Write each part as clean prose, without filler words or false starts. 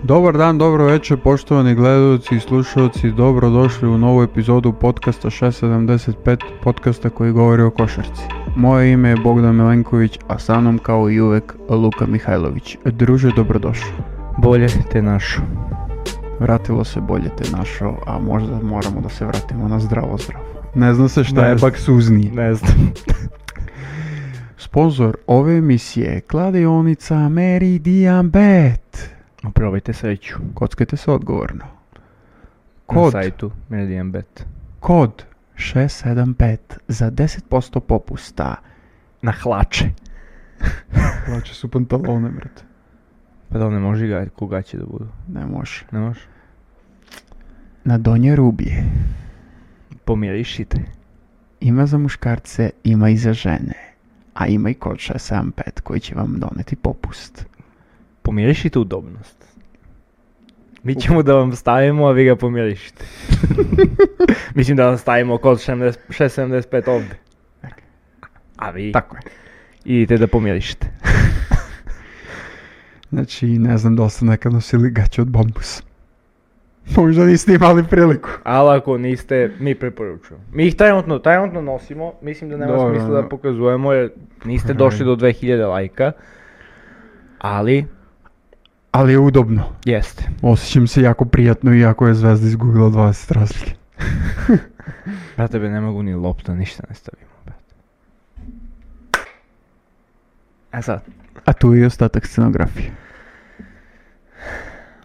Dobar dan, dobro večer, poštovani gledalci i slušalci, dobrodošli u novu epizodu podcasta 675, podcasta koji govori o košarci. Moje ime je Bogdan Milenković, a sa mnom kao i uvek Luka Mihajlović. Druže, dobrodošao. Bolje te našo. Vratilo se bolje te našo, a možda moramo da se vratimo na zdravo. Ne zna se šta je baksuznije. Ne znam. Sponzor ove emisije je kladionica Meridian Bet. Probajte sreću. Kockajte se odgovorno. Na sajtu Meridian Bet. Kod 675 za 10% popusta. Na hlače. Hlače su pantalone, brate. Pa da ne može koga će da budu. Ne može. Ne može. Na donje rubije. Pomirišite. Ima za muškarce, ima i za žene. A ima i kod 675 koji će vam doneti popust. Pomirišite udobnost. Mi ćemo da vam stavimo, a vi ga pomirišite. Mislim da vam stavimo kod 675 ovdje. A vi tako je. Idite da pomirišite. Znači, ne znam da li ste nekad nosili gaće od bambusa. Možda niste imali priliku. Ali ako niste, mi preporučujemo. Mi ih trenutno nosimo. Mislim da nema smisla da pokazujemo jer niste došli do 2000 lajka. Ali je udobno. Jeste. Osjećam se jako prijatno iako je Zvezda izgubila 20 razlike. Brate, ne mogu ni lopta, ništa ne stavimo. A sad? A tu je i ostatak scenografije.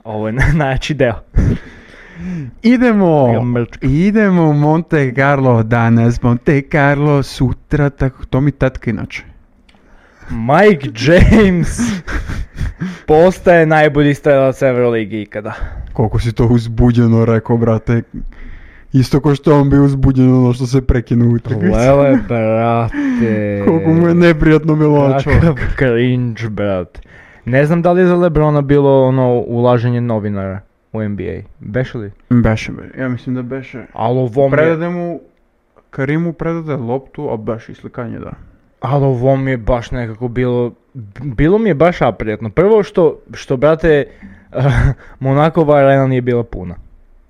Ovo je najjači deo. Idemo u Monte Carlo danas, Monte Carlo sutra, tako, to mi tatka inače. Mike James postaje najbolji strelac Euroligi ikada. Koliko si to uzbuđeno rekao, brate. Isto ko što on bio uzbuđen ono što se prekinu utakmice. Lele, brate. Koliko mu je neprijatno bilo čovjek. Kakav cringe, brate. Ne znam da li je za LeBrona bilo ono ulaženje novinara u NBA. Beše li? Beše, ja mislim da beše. Ali ovom predade mu, Karimu predade loptu, a beše i slikanje, da. Ali ovo mi je baš nekako bilo mi je baš aprijatno. Prvo što brate, Monakova arena nije bila puna.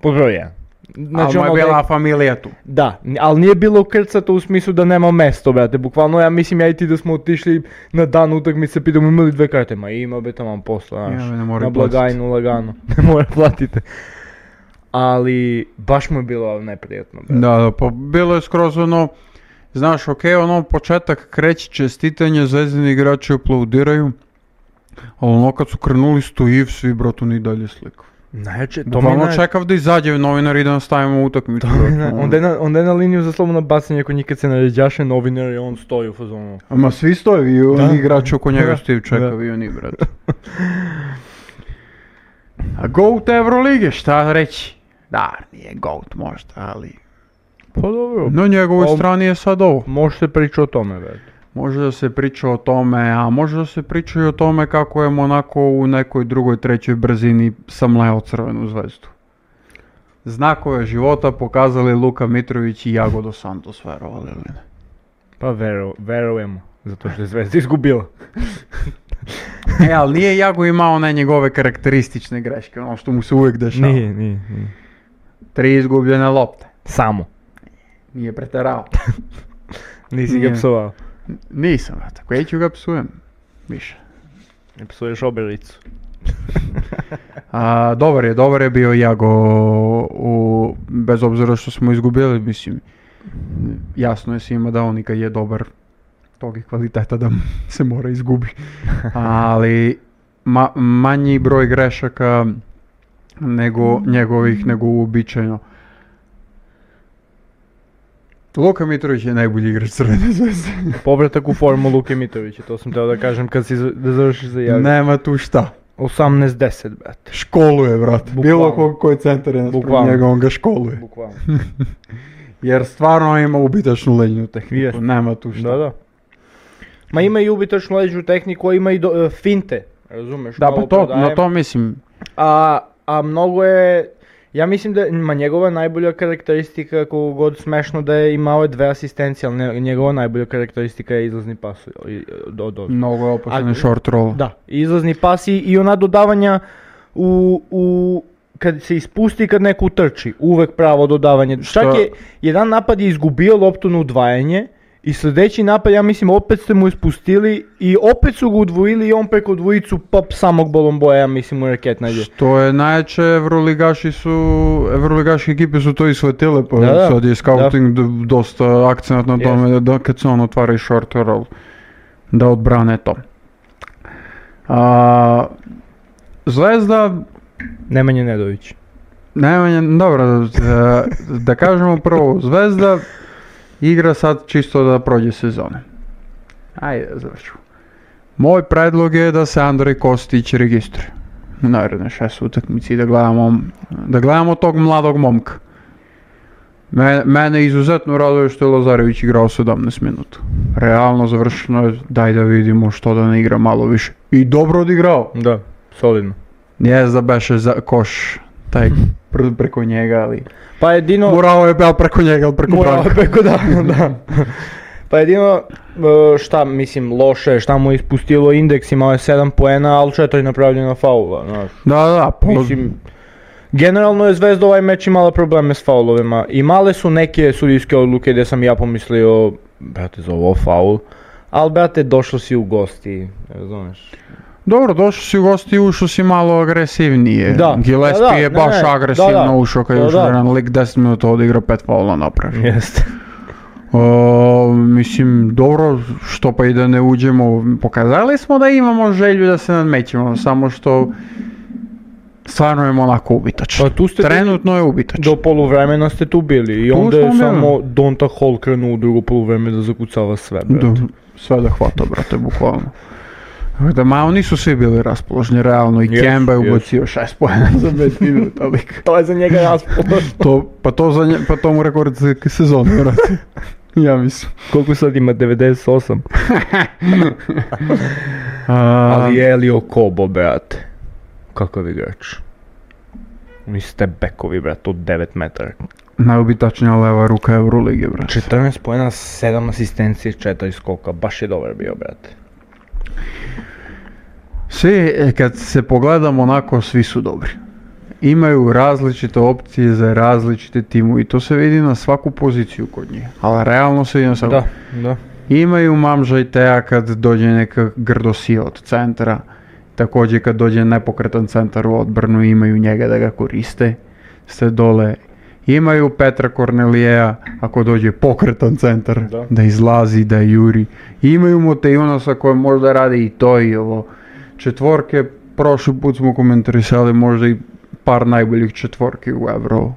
Pod broj 1. Znači, ali je bila familija tu. Da, ali nije bilo krcato u smislu da nema mesto, brate. Bukvalno ja mislim ja i ti da smo otišli na dan utakmice, pitamo imali 2 karte. Ma ima be tamo posla, znaš, na blagajnu lagano. Ne mora platite. Ali baš mu je bilo neprijatno, brate. Da, pa bilo je skroz ono, znaš, okej, ono početak kreće čestitanje, Zvezdini igrači aplaudiraju. Ali ono kad su krenuli stojiv, svi bratu ni dalje sliku. Najjače, bukvalno čekav da izađe novinar i da nastavimo utakmicu. Onda je na liniju za slobodno bacanje kod njih kad se naređaše novinar i on stoji u fazonu. Ama svi stoji i oni igrači oko njega stoji čekav i oni, brate. A GOAT Evrolige, šta reći? Da, nije GOAT možda, ali... Pa dobro. Na njegovoj strani je sad ovo. Može se priča o tome, brate. Može da se priča o tome, a može da se priča i o tome kako je Monako u nekoj drugoj, trećoj brzini samleo Crvenu Zvezdu. Znakove života pokazali Luka Mitrović i Jago dos Santos, verovali li ne? Pa verujemo, zato što je Zvezda izgubila. Ali nije Jago imao one njegove karakteristične greške, ono što mu se uvijek dešava. Nije. 3 izgubljene lopte. Samo. Nije preterao. Nisi ga psovao. Nisam, tako ja ću ga psujem. Više. Ne psuješ Obelicu. Dobar je bio Jago, bez obzira što smo izgubili, mislim, jasno je svima da on kad je dobar tog i kvaliteta da se mora izgubi. Ali manji broj grešaka njegovih nego uobičajeno. Luka Mitrović je najbolji igrač Crvene Zvezde. Povratak u formu Luke Mitrovića, to sam teo da kažem kad si da završiš za javlju. Nema tu šta. 18-10, brate. Školuje, brate. Bilo koji centar je naspred njega, on ga školuje. Bukvalno. Jer stvarno ima ubitačnu leđnu tehniku, nema tu šta. Da. Ma ima i ubitačnu leđnu tehniku, a ima i finte, razumeš? Da, pa na to mislim. A mnogo je... Ja mislim da njegova najbolja karakteristika, kako god smešno da je imao je 2 asistencije, ali njegova najbolja karakteristika je izlazni pas. Mnogo je opasan short roll. Da, izlazni pas i ona dodavanja kad se ispusti kad neko utrči, uvek pravo dodavanje. Čak je, jedan napad je izgubio loptu na udvajanje i sljedeći napad, ja mislim, opet ste mu ispustili i opet su ga udvojili i on preko dvojicu samog Bolomboja, ja mislim, u raket najde. Što je najjače, evroligaške ekipe su to i shvatile, pa sad je scouting dosta akcenat na tome da kad se on otvara i short roll, da odbrane to. Zvezda... Nemanja Nedović. Dobro, da kažemo prvo, Zvezda igra sad čisto da prođe sezone. Ajde, završu. Moj predlog je da se Andrej Kostić registruje u naredne 6 utakmici i da gledamo tog mladog momka. Mene izuzetno raduje što je Lazarević igrao 17 minuta. Realno završeno je, daj da vidimo što da ne igra malo više. I dobro odigrao. Da, solidno. Nije da beše za koš taj preko njega, ali... Pa jedino... Morao je bel preko njega, ali preko Branka. Morao je preko, da. Pa jedino, šta mislim, loše, šta mu je ispustilo indeks, imao je 7 poena, ali 4 napravljena faula, znaš. Da. Mislim, generalno je Zvezda ovaj meč imala probleme s faulovima. Imale su neke sudijske odluke gdje sam ja pomislio, brate, za ovo faul, ali brate, došlo si u gosti, ne razumeš. Dobro, došao si u gosti i ušao si malo agresivnije. Gillespie je baš agresivno ušao kad je ušao jedan lik 10 minuta odigra 5 faula napravi. Jeste. Mislim, dobro, što pa i da ne uđemo, pokazali smo da imamo želju da se nadmećemo, samo što stvarno je onako ubitačno. Trenutno je ubitačno. Do poluvremena ste tu bili i onda je samo Donta Hall krenuo u drugo poluvreme da zakucava sve, brate. Sve da hvata, brate, bukvalno. Da, oni su svi bili raspoloženi, realno, i Kemba je ubacio 6 poena za 5 minuta, lik. To je za njega raspoloženo. Pa to mu rekord za sezonu, brate. Ja mislim. Koliko sad ima? 98? Ali Elio Kobo, brate. Kakav igrač. Vi ste bekovi, brate, od 9 metara. Najubitačnija leva ruka Eurolige, brate. 14 poena, 7 asistencije, 4 skoka. Baš je dobar bio, brate. Svi, kad se pogledamo onako, svi su dobri. Imaju različite opcije za različite timove i to se vidi na svaku poziciju kod njih. Ali realno se vidi na svaku. Da. Imaju Mamža i Teja kad dođe neka grdosija od centra. Također kad dođe nepokretan centar u odbranu, imaju njega da ga koriste. Ste dole. Imaju Petra Kornelijeja ako dođe pokretan centar da izlazi, da juri. Imaju Motejunosa koji možda radi i to i ovo. Četvorke, prošli put smo komentarisali možda i par najboljih četvorki u Euro.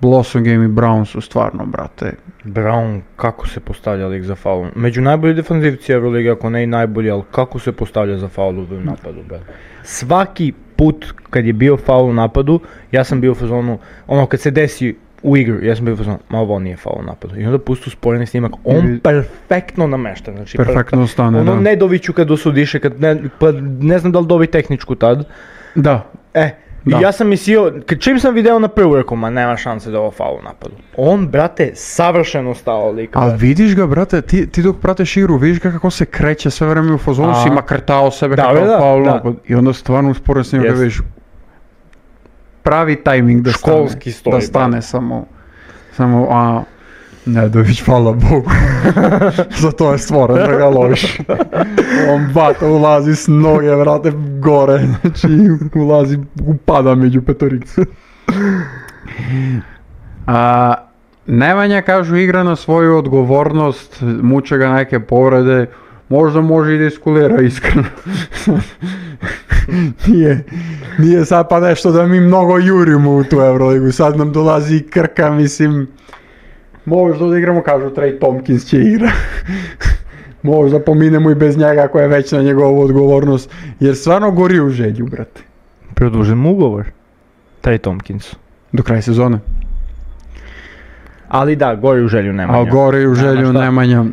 Blossom Game i Brown su stvarno, brate. Brown, kako se postavlja lik za faul? Među najbolji defanzivci Euroliga, ako ne i najbolji, ali kako se postavlja za faul u napadu, brate? Svaki put kad je bio faul u napadu, ja sam bio u fazonu, ono kad se desi u igru, ja sam bio u fazonu, ma ovo nije faul u napadu. I onda pustu sporeni snimak, on perfektno namešta. Znači, perfektno stane, ono Nedoviću kad osudiše, pa ne znam da li dobi tehničku tad. Da. I ja sam mislio, čim sam video na prvu rekao, ma nema šanse da ovo faul u napadu. On, brate, savršeno stao lik. Ali vidiš ga, brate, ti dok pratiš igru, vidiš ga kako se kreće sve vreme u fazonu, si makrtao sebe kako faul u napadu. I onda stvarno uspored s njega vidiš pravi tajming da stane samo Nedović, hvala Bogu. Za to je stvoren da ga loviš. On bata ulazi s noge, vrate, gore. Znači ulazi, upada među petoricu. Nemanja, kažu, igra na svoju odgovornost, muče ga neke povrede. Možda može i da iskulira, iskreno. Nije sad pa nešto da mi mnogo jurimo u tu Euroligu. Sad nam dolazi i Krka, mislim. Možda da igramo, kažu, Trey Tompkins će igra. Možda pominemo i bez njega ako je već na njegovu odgovornost. Jer stvarno gori u želju, brate. Produžen mu ugovor? Trey Tompkins. Do kraja sezone. Ali da, gori u želju Nemanja. Ali gori u želju Nemanja.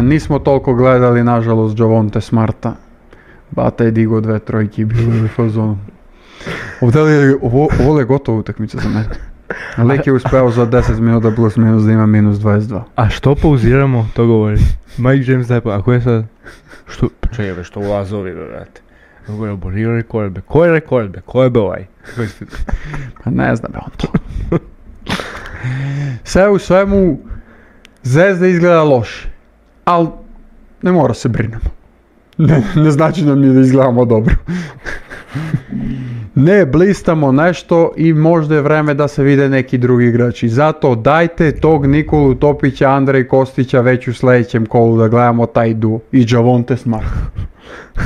Nismo toliko gledali, nažalost, Javonte Smarta. Bata je digao 2 trojke i bilo je u fazonu. Ovo je gotova utakmica za mene. Lik je uspeo za 10 minuta plus minus da ima minus 22. A što pauziramo, to govori. Mike James Depa, ako je sad... Čekaj, što ulazovi, brate. Kako je oborio rekord? Ko je rekord? Ko je ovaj? Pa ne znam on to. Sve u svemu Zvezda izgleda loše, ali ne mora se brinemo. Ne znači nam ni da izgledamo dobro. Ne blistamo nešto i možda je vreme da se vide neki drugi igrači. Zato dajte tog Nikolu Topića, Andrej Kostića već u sljedećem kolu da gledamo taj duo. I Javonte Smart.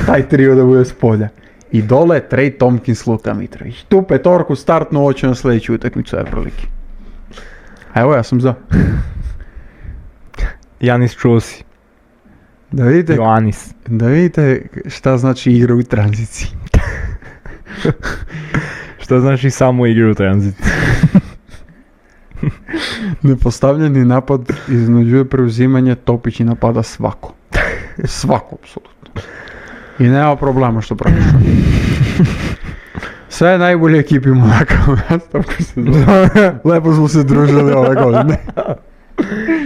Taj trio da bude s polja. I dole Trey Tompkins, Luka Mitrović. Tu petorku startnu hoću na sljedeću utakmicu Euroligi. Evo ja sam za. Janis Čusi. Da vidite šta znači igra u tranziciji. Šta znači samo igra u tranziciji? Nepostavljeni napad iznuđuje preuzimanje, Topić i napada svako. Svako, apsolutno. I nema problema što promišlja. Sve najbolje ekipi Monaka u nastavku sezone. Lepo smo se družili ove godine.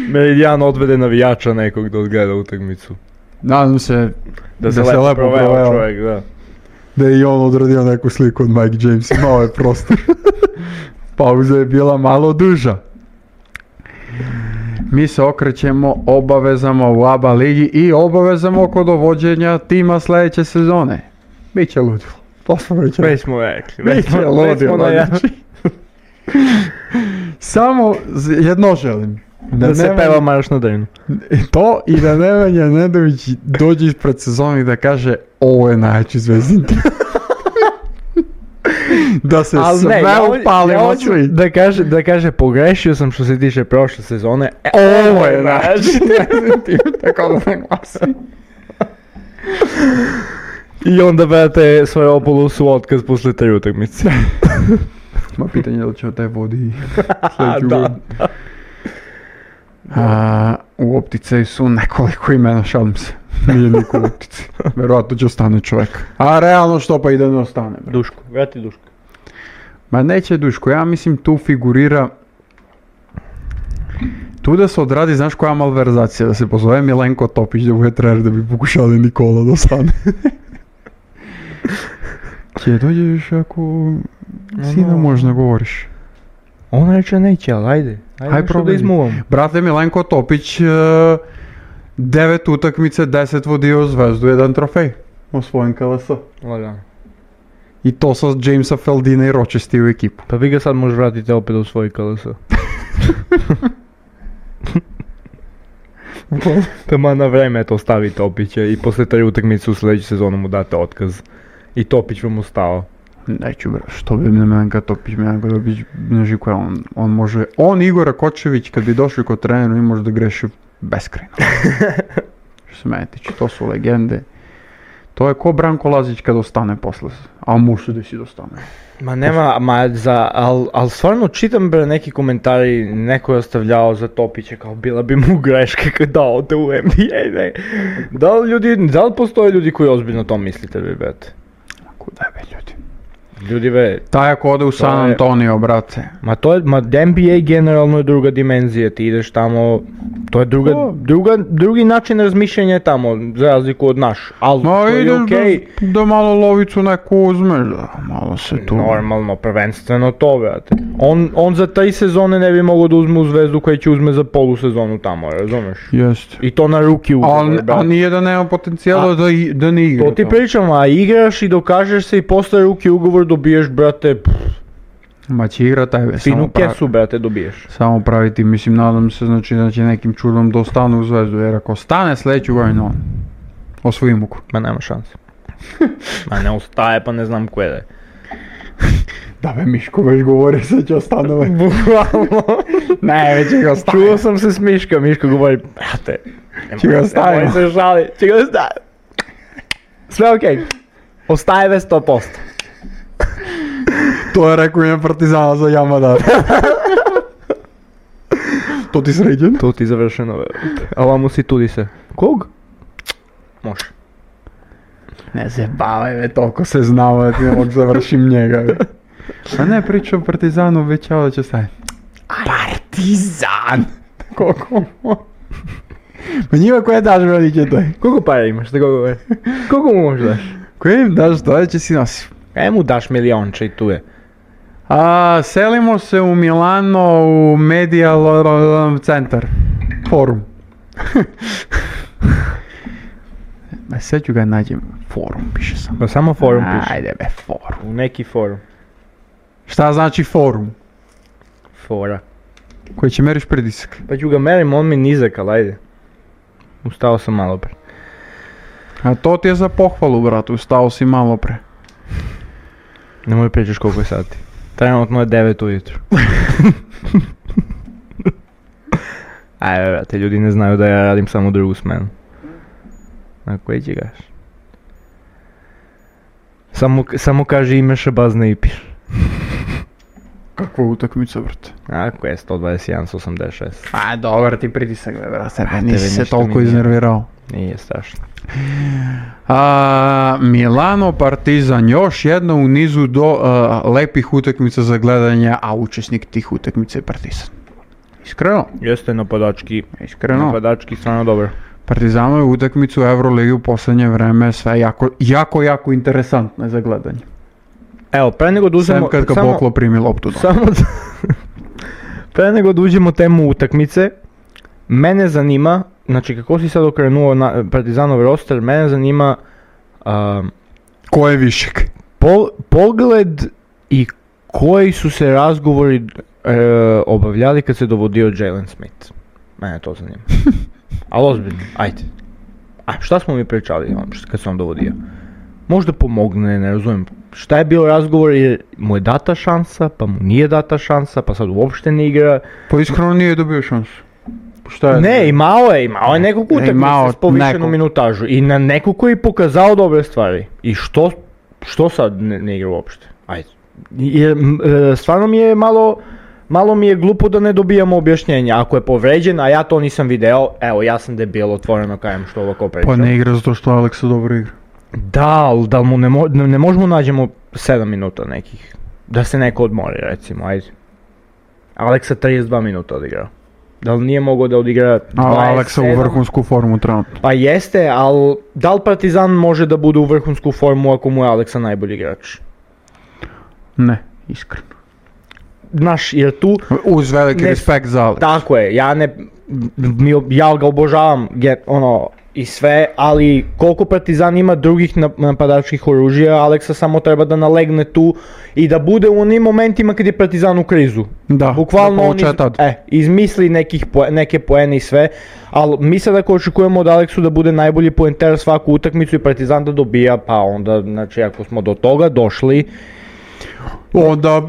Meridian odvede navijača nekog da odgleda utakmicu. Nadam se da se lepo proveo čovjek, da. Da je i on odradio neku sliku od Mike James, imao je prostor. Pauza je bila malo duža. Mi se okrećemo obavezama u ABA ligi i obavezama oko dovođenja tima sljedeće sezone. Biće ludilo. To smo već rekli. Biće ludilo. Samo jedno želim. Da se peva Marš na Drinu. To i da Nemanja Nedović dođe ispred sezoni i da kaže ovo je najjači Zvezdin tim. Da se sve upalimo svi. Da kaže pogrešio sam što se tiče prošle sezone. Ovo je najjači Zvezdin tim. Tako da ne glasi. I onda brate svoje Opolusu otkaz posle 3 utakmice. Ma pitanje je da će taj vodi sljedeću godinu. U optice su nekoliko imena, šalim se. Nije niko u optici. Verovatno će ostane čovjek. A realno što pa i da ne ostane. Duško, vrati Duško. Ma neće Duško, ja mislim tu figurira... Tu da se odradi, znaš koja malverzacija, da se pozove Milenko Topić da bude trener da bi pokušali Nikola da ostane. Če dođeš ako sina možda govoriš. On reče neće, ali ajde što da izmuvam. Brate, Milenko Topić 9 utakmice, 10 vodio Zvezdu, 1 trofej osvojen KLS. Lagano. I to sa Jamesa Feldina i Rochesti u ekipu. Pa vi ga sad možeš vratiti opet u svoj KLS. Tamo na vreme to stavi Topića i posle 3 utakmice u sljedeću sezonu mu date otkaz. I Topić vam ostao. Neću bre, što bi ne Milenka Topić, Milenka Topić, ne živ koja on može, on Igora Kočević kad bi došli kod trenera i može da greši beskrajno. Što se mene tiče, to su legende. To je ko Branko Lazić kad ostane posle, a muše da si dostane. Ma nema, ali stvarno čitam bre neki komentari, neko je ostavljao za Topića kao bila bi mu greška kad da ode u NBA, ne. Da li postoje ljudi koji ozbiljno to mislite, vi brate? Kuda je ljudi? Ljudi ve... Taj ako ode u San Antonio, brate. Ma NBA generalno je druga dimenzija, ti ideš tamo, to je drugi način razmišljanja tamo, za razliku od naš. Ali to je okej. Da malo lovicu neko uzme, da malo se tu... Normalno, prvenstveno to, brate. On za 3 sezone ne bi mogao da uzme u Zvezdu koja će uzme za polusezonu tamo, razumeš? Jest. I to na ruki ugovor, brate. A nije da nema potencijala da ne igra. To ti pričam, a igraš i dokažeš se i posle ruki ugovor dobiješ, brate, Ma će igra taj... finu kesu, brate, dobiješ. Samo praviti, mislim, nadam se, znači da će nekim čudom da ostane u Zvezdu, jer ako stane sljedeću godinu, on osvoji muku. Ma nema šanse. Ma ne ostaje, pa ne znam koje da je. Da be, Miško već govori, sad će ostane ovaj. Bukvalno. Ne, već će ga ostaje. Čuo sam se s Miško govori, brate, će ga ostaje. Nemoj se žali, će ga ostaje. Sve okej. Ostaje ve 100%. To je rekao ime Partizana za Yamadar. To ti sređen? To ti završeno, a vamo si tudi se. Kog? Može. Ne zabavaj me, toliko se znao da ti ne mogu završim njega. A ne pričam o Partizanu, obećao da će staviti. Partizan! Koliko? Ma njima koje daš, veli će to. Koliko para imaš? Koliko mu možeš daš? Koje im daš, da će si nosi? Mu daš milionče i tu je. Selimo se u Milano u Media centar. Forum. Sad ću ga nađem. Forum piše sam. Pa samo forum piše. Ajde be, forum. U neki forum. Šta znači forum? Fora. Koji će meriš pritisak? Pa ću ga merim, on mi nizak, ali ajde. Ustao sam malo pre. A to ti je za pohvalu, bratu, ustao si malo pre. Nemoj pričaš koliko je sati. Trenutno je 9 ujutro. Ajde, brate, ljudi ne znaju da ja radim samo drugu smenu. Na koji će gaš? Samo kaži ime Šabaz ne ipiš. Kakva utakmica, brate? Ako je 121-86. Dobar ti pritisak, brate, nisi se toliko iznervirao. Nije strašno. Milano Partizan, još jedna u nizu do lepih utakmica za gledanje, a učesnik tih utakmica je Partizan. Iskreno? Jeste napadački. Iskreno? Napadački stvarno dobro. Partizanove utakmice u Euroligi u posljednje vreme sve jako interesantne za gledanje. Evo, pre nego da uzmemo... Sem kad ga Boklo primi loptu. Pre nego da uđemo temu utakmice, mene zanima, znači kako si sad okrenuo na Partizanov roster, mene zanima... Ko je višak? Pogled i koji su se razgovori obavljali kad se dovodio Jalen Smith. Mene to zanima. Ali ozbiljno, ajde. Šta smo mi pričali kad se on dovodio? Možda pomogne, ne razumijem. Šta je bio razgovor, jer mu je data šansa, pa mu nije data šansa, pa sad uopšte ne igra. Pa iskreno nije dobio šansu. Ne, imao je nekog utakmice s povišenom minutažu i na nekog koji je pokazao dobre stvari. I što sad ne igra uopšte? Ajde. Jer stvarno mi je malo mi je glupo da ne dobijamo objašnjenja. Ako je povređen, a ja to nisam video, evo ja sam debil, otvoreno kajem što ovako pričam. Pa ne igra zato što Aleksa dobro igra. Da li mu ne možemo nađemo 7 minuta nekih. Da se neko odmori recimo, ajde. Aleksa 32 minuta odigrao. Da li nije mogao da odigra 27? Aleksa u vrhunsku formu trenutno. Pa jeste, ali da li Partizan može da bude u vrhunsku formu ako mu je Aleksa najbolji igrač? Ne, iskreno. Znaš, jer tu... Uz veliki respekt za Aleksa. Tako je, ja ga obožavam, i sve, ali koliko Partizan ima drugih napadačkih oružja, Aleksa samo treba da nalegne tu i da bude u onim momentima kad je Partizan u krizu. Da, bukvalno on izmisli neke poene i sve, ali mi sad ako očekujemo od Aleksu da bude najbolji poenter svaku utakmicu i Partizan da dobija, pa onda, znači ako smo do toga došli... Onda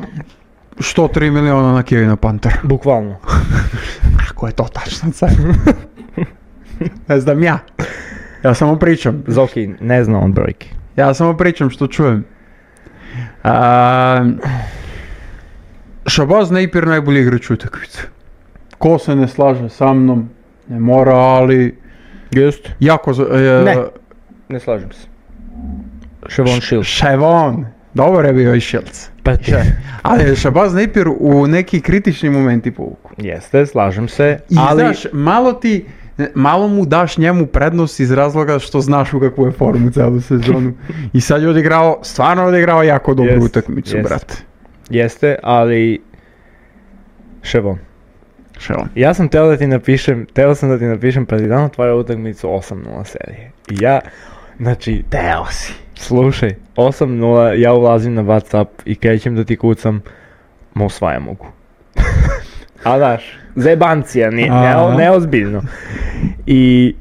103 miliona na Kevina Pantera. Bukvalno. Ako je to tačno sad. Ne znam ja. Ja samo pričam. Zoki, ne znam on brojke. Ja samo pričam što čujem. Šabaz Napier najbolji igrač utakmice. Ko se ne slaže sa mnom, ne mora, ali... Just. Jako... Ne slažem se. Ševon Shields. Ševon. Dobar je bio i Shields. Ali Šabaz Napier u neki kritični momenti povuku. Jeste, slažem se. I znaš, malo mu daš njemu prednost iz razloga što znaš u kakvu je formu celu sezonu. I sad je stvarno odigrao jako dobru utakmicu, brate. Jeste, ali... Ševon. Ja sam teo da ti napišem Partizan otvara utakmicu 8-0 serije. I ja, znači, teo si. Slušaj, 8-0, ja ulazim na WhatsApp i krećem da ti kucam, osvaja mogu. A daš, zajebancija, neozbiljno. I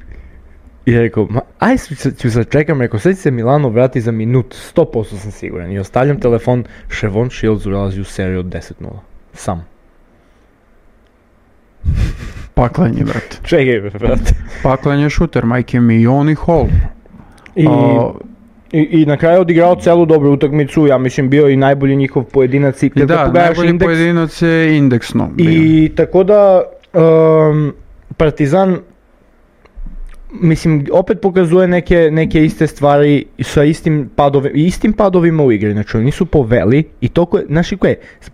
rekao, aj ću sad čekam, rekao, sad će se Milano vrati za minut, 100% sam siguran. I ostavljam telefon, Ševon Shields ulazi u seriju od 10-0. Sam. Paklanje, brate. Čekaj, brate. Paklanje šuter, majke mi, i on i Hall. I na kraju odigrao celu dobru utakmicu, ja mislim bio i najbolji njihov pojedinac. Da, najbolji pojedinac je indeksno bio. I tako da Partizan, mislim, opet pokazuje neke iste stvari sa istim padovima u igri. Znači, oni su poveli i to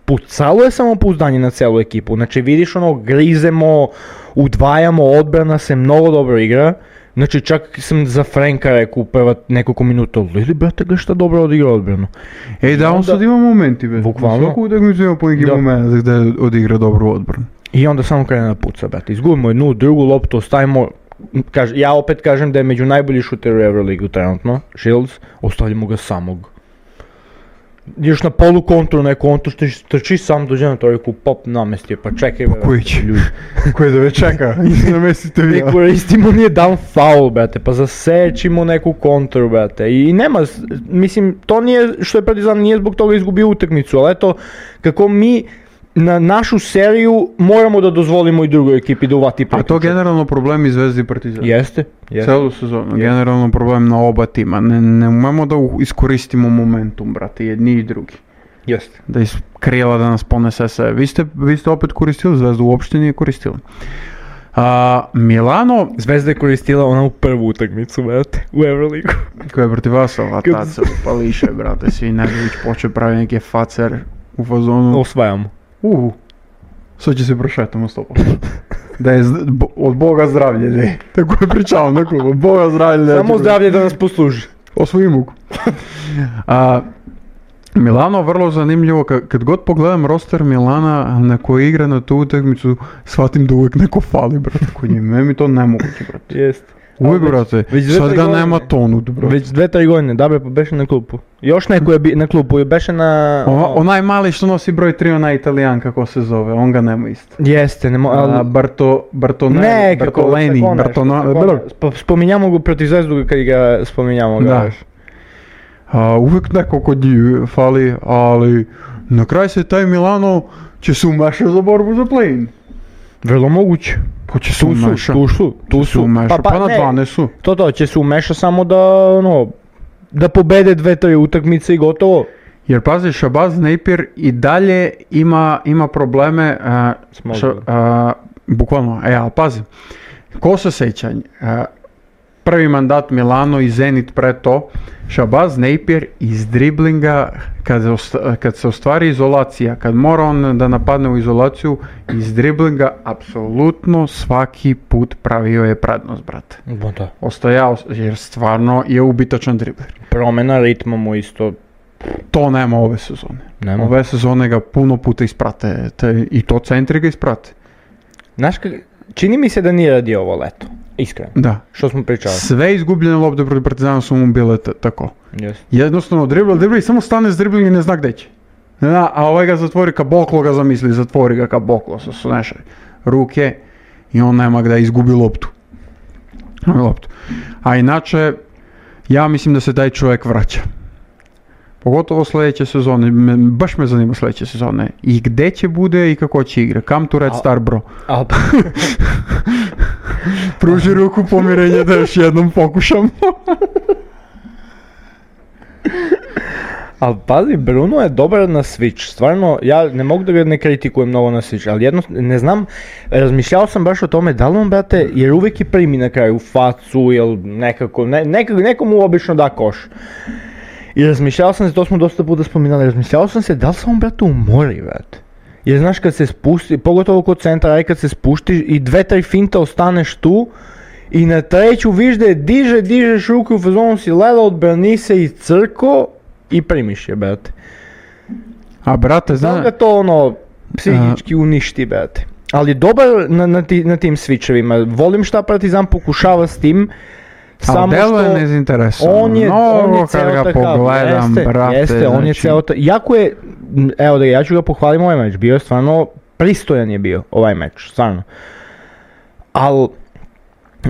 pucalo je samopouzdanje na celu ekipu. Znači, vidiš grizemo, udvajamo, odbrana se mnogo dobro igra. Znači čak sam za Franka rekao prva nekoliko minuta, Lili brate ga šta dobro odigra odbranu. Da, on sad ima momenti, bukvalno. Svaku utakmicu ima po neki moment gdje odigra dobru odbranu. I onda samo krene da puca, brate. Izgubimo jednu, drugu loptu, ostavimo, ja opet kažem da je među najbolji šuter u Euroligu trenutno, Shields, ostavljamo ga samog. Ideš na polu kontru, neku kontru, trčiš sam dođe na trojku, pop namestio, pa čekaj. Pa koji će? Koji da već čeka, namestite vi. Ne koristimo, nije down foul, brate, pa zasečimo neku kontru, brate. I nema, mislim, to nije, što je Partizan, nije zbog toga izgubio utakmicu, ali eto, kako mi na našu seriju moramo da dozvolimo i drugoj ekipi da uvati priključak. A to generalno problem i Zvezdi i Partizana. Jeste. Celu sezonu, generalno problem na oba tima. Ne umemo da iskoristimo momentum, brate, jedni i drugi. Jeste. Da iz krila da nas ponese sve. Vi ste opet koristili, Zvezda uopšte nije koristila. Milano... Zvezda je koristila ona u prvu utakmicu, brate, u Euroligu. Koja je protiv vas, a tad se upališe, brate, svi Nedović počeo pravi neke facer u fazonu. Osvajamo. Sad će se prošetamo 100%. Da je od Boga zdravlje, ne. Tako je pričao na klubu, od Boga zdravlje. Samo zdravlje da nas posluži. Osvoji muku. Milano vrlo zanimljivo, kad god pogledam roster Milana na koji igra na tu utakmicu, shvatim da uvijek neko fali, brate, kod njima. Mi to nemoguće, brate. Jeste. Uvijek, brate, sad ga nema Tonut, brate. Već 2-3 godine, Dabre pa beše na klupu. Još neko je na klupu, beše na... Onaj mali što nosi broj 3, onaj Italijan, kako se zove, on ga nema isto. Jeste, spominjamo ga protiv Zvezdu kad ga spominjamo ga. Uvijek neko kod njih fali, ali na kraj se taj Milano će se umešati za borbu za play-in. Vrlo moguće. Pa će se umeša. Tu su. Pa na 12 su. To će se umeša samo da pobede 2-3 utakmice i gotovo. Jer pazi, Shabazz Napier i dalje ima probleme, bukvalno, ali pazi, ko se seća, prvi mandat Milano i Zenit pre to, Shabazz Napier iz driblinga, kad se ostvari izolacija, kad mora on da napadne u izolaciju, iz driblinga apsolutno svaki put pravio je prednost, brate. Ostajao, jer stvarno je ubitačan dribler. Promena ritma mu isto. To nema ove sezone. Ove sezone ga puno puta isprate, i to centri ga isprate. Znaš, čini mi se da nije radio ovo leto. Iskreno. Da. Što smo pričali? Sve izgubljene lopte protiv Partizana su mu bile tako. Yes. Jednostavno dribli, samo stane s dribling i ne zna gde će. A ovaj ga zatvori ka boklo, ga zamisli, zatvori ga ka boklo sa sunešaj ruke i on nema gde izgubi loptu. A inače, ja mislim da se taj čovjek vraća. Pogotovo sljedeće sezone, baš me zanima sljedeće sezone. I gde će bude i kako će igra. Come to Red Star, bro. Pruži ruku pomirenja da još jednom pokušamo. Ali pazi, Bruno je dobar na switch, stvarno, ja ne mogu da ga ne kritikujem mnogo na switch, ali ne znam, razmišljao sam baš o tome da li on, brate, jer uvijek je primi na kraju u facu, jel nekomu obično da koš. I razmišljao sam se, to smo dosta puta spominali, razmišljao sam se da li se on, brate, umori, brate. Jer znaš kad se spusti, pogotovo kod centra, kad se spuštiš i 2-3 finta ostaneš tu i na treću viš da je dižeš ruku u fazonu si leda, odbrani se i crko i primiš je, brate. A brate, znam da to psihički uništi, brate. Ali dobar na tim switchevima, volim šta Partizan pokušava s tim. Samo delo je nezinteresovan. On je ceo takav, jeste, on je ceo takav. Jako je, evo da ja ću ga pohvalim ovaj meč, bio je stvarno, pristojan je bio ovaj meč, stvarno. Ali,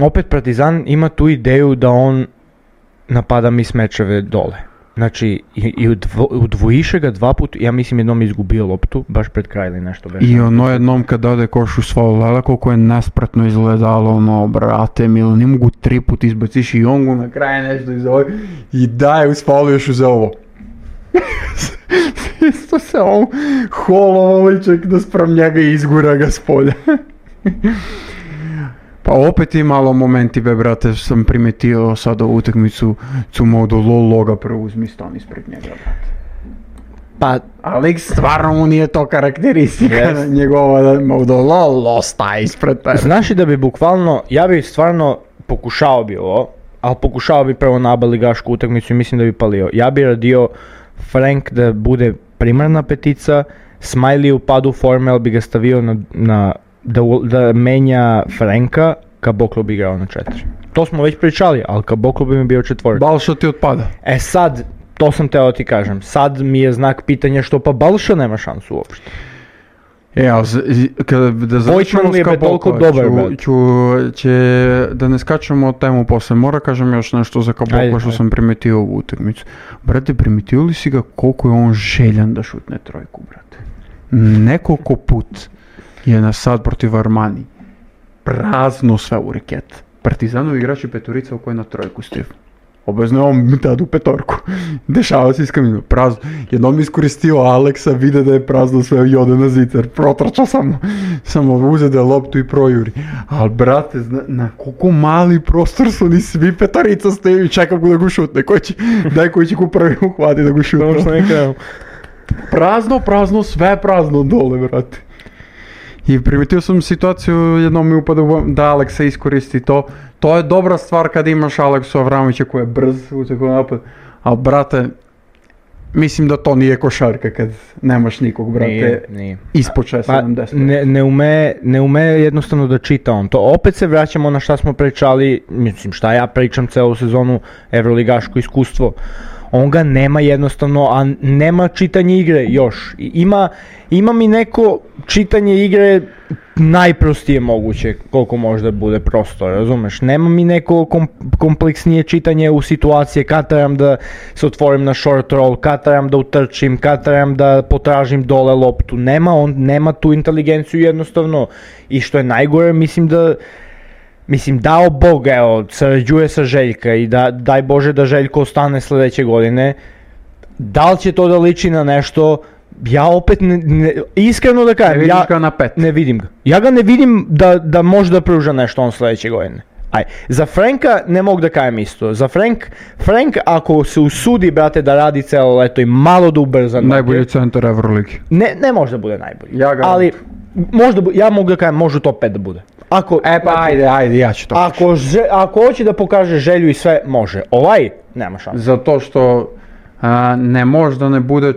opet Partizan ima tu ideju da on napada mismečeve dole. Znači, i udvojiše ga 2 puta, ja mislim jednom izgubio loptu, baš pred kraj ili nešto. I jednom kad dade koš u svalu, koliko je nespratno izgledalo, brate milo, ne mogu 3 puta izbaciš i on go na kraj nešto izove i daje u svalu još uz ovo. Isto se on holoviček da sprem njega izgura ga s polja. Pa opet je malo momenti, brate, sam primetio sada u utakmicu Cumodo Lologa preuzmi stan ispred njega, brate. Pa, ali stvarno mu nije to karakteristika njegova da losta ispred tebe. Znaš da bi bukvalno, ja bi stvarno pokušao bi ovo, ali pokušao bi prvo naba ligašku utakmicu i mislim da bi palio. Ja bi radio Frank da bude primarna petica, Smiley u padu forme, ali bi ga stavio da menja Franka, Caboclo bi igrao na 4. To smo već pričali, ali Caboclo bi mi bio 4. Balša ti otpada. Sad, to sam teo ti kažem, sad mi je znak pitanja što pa Balša nema šansu uopšte. Da završimo s Caboclo, da ne skačemo od temu posle, mora kažem još nešto za Caboclo što sam primetio ovu utakmicu. Brate, primetio li si ga koliko je on željan da šutne trojku, brate? Nekoliko put je na sad protiv Armani prazno sve u reket. Partizanovi igrači peturica u kojoj na trojku stiv. Obavezno je on tada u petorku. Dešava se iskamino, prazno. Jednom iskoristio Aleksa, vide da je prazno sve i ode na zicer. Protrača samo uzede loptu i projuri. Ali brate, na koliko mali prostor su ni svi petarica staju i čeka da go šutne. Koji će ko prvi uhvati da go šutne. Prazno, sve prazno dole, brate. I primetio sam situaciju, jednom mi upada da Aleksa iskoristi to. To je dobra stvar kad imaš Aleksu Avramovića koji je brz u takvom napadu. Ali brate, mislim da to nije košarka kad nemaš nikog, brate, ispod 70. Ne ume jednostavno da čita on to. Opet se vraćamo na šta smo pričali, mislim šta ja pričam celu sezonu, evroligaško iskustvo. On ga nema jednostavno, a nema čitanje igre još. Ima mi neko čitanje igre najprostije moguće, koliko možda bude prosto, razumeš? Nema mi neko kompleksnije čitanje u situacije kad trebam da se otvorim na short roll, kad trebam da utrčim, kad trebam da potražim dole loptu. On nema tu inteligenciju jednostavno. I što je najgore, mislim dao Bog, evo, sarađuje sa Željka i daj Bože da Željko ostane sljedeće godine. Da li će to da liči na nešto? Ja opet, iskreno da kažem, ne vidiš ga na 5. Ne vidim ga. Ja ga ne vidim da može da pruža nešto on sljedeće godine. Za Franka ne mogu da kažem isto. Za Frank ako se usudi, brate, da radi celo leto i malo da ubrza noge. Najbolji centar Euroligi. Ne može da bude najbolji. Ali ja mogu da kažem, može top 5 da bude. Ajde, ja ću to ako hoće da pokaže želju i sve, može. Nema šanse. Zato što ne može da ne bude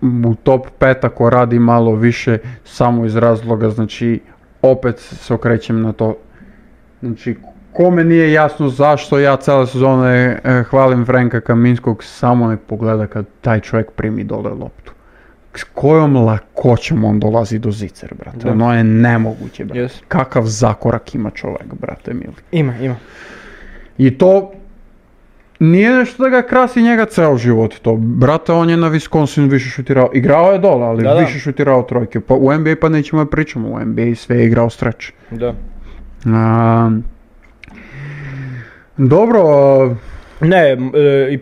u top 5 ako radi malo više samo iz razloga, znači opet se okrećem na to. Znači, kome nije jasno zašto ja cele sezone hvalim Franka Kaminskog, samo ne pogleda kad taj čovjek primi dole loptu. S kojom lakoćom on dolazi do zicer, brate. Da. Ono je nemoguće, brate. Yes. Kakav zakorak ima čovjek, brate mili. Ima. I to nije nešto da ga krasi njega ceo život. To, brate, on je na Wisconsin više šutirao. Igrao je dole, ali više šutirao trojke. Pa u NBA pa nećemo da pričamo. U NBA sve je igrao stretch. Da. Dobro. I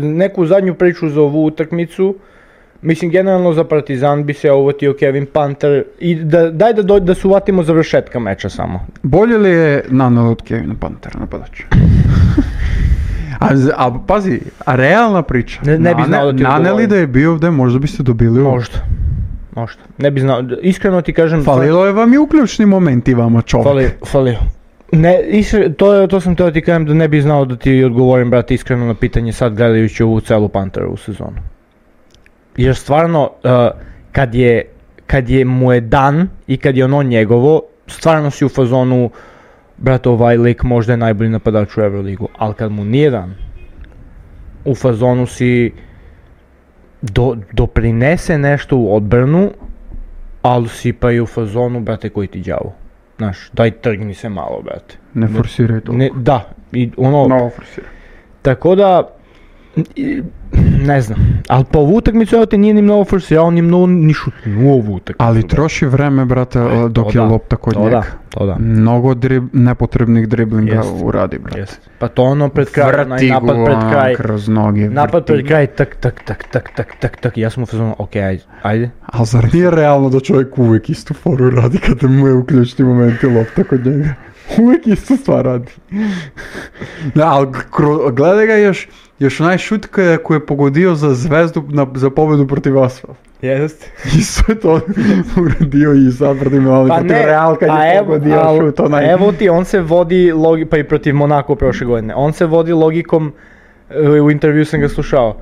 neku zadnju priču za ovu utakmicu. Mislim, generalno za Partizan bi se uvatio Kevin Panter i daj da se uvatimo završetka meča samo. Bolje li je Nanel od Kevina Pantera napadač? A pazi, realna priča. Ne bi znao da ti odgovorim. Naneli da je bio ovdje, možda biste dobili ovo. Možda. Ne bi znao, iskreno ti kažem... Falilo je vam i u ključni momenti vama čovjek. Falio. To sam teo ti kažem da ne bi znao da ti odgovorim, brate, iskreno na pitanje sad gledajući ovu celu Panterovu sezonu. Jer stvarno, kad je mu je dan i kad je ono njegovo, stvarno si u fazonu, brate, ovaj lik možda je najbolji napadač u Euroligu, ali kad mu nije dan, u fazonu si doprinese nešto u odbranu, ali si pa i u fazonu, brate, koji ti đavo. Znaš, daj trgni se malo, brate. Ne forsiraj to. Da, i ono... Malo forsiraj. Tako da... Ne znam, ali po ovu utakmicu evo te nije ni mnogo forsirao, ni mnogo ni šutnuo ovu utakmicu. Ali troši vreme, brate, dok je lopta kod njega. To da. Mnogo nepotrebnih driblinga uradi, brate. Jest. Pa to ono pred kraj, napad pred kraj, kroz noge, napad pred kraj, tak, ja sam u fazonu, okej, ajde. Ali zar nije realno da čovjek uvijek istu foru radi kada mu je u ključni momenti lopta kod njega? Uvijek istu stvar radi. Ali gledaj ga još, Još onaj šut koji je pogodio za Zvezdu za pobjedu protiv Asfal. Jest. Isto je to uradio i sad protiv Real kad je pogodio šut. Evo ti, on se vodi, pa i protiv Monako prošle godine, on se vodi logikom, u intervju sam ga slušao,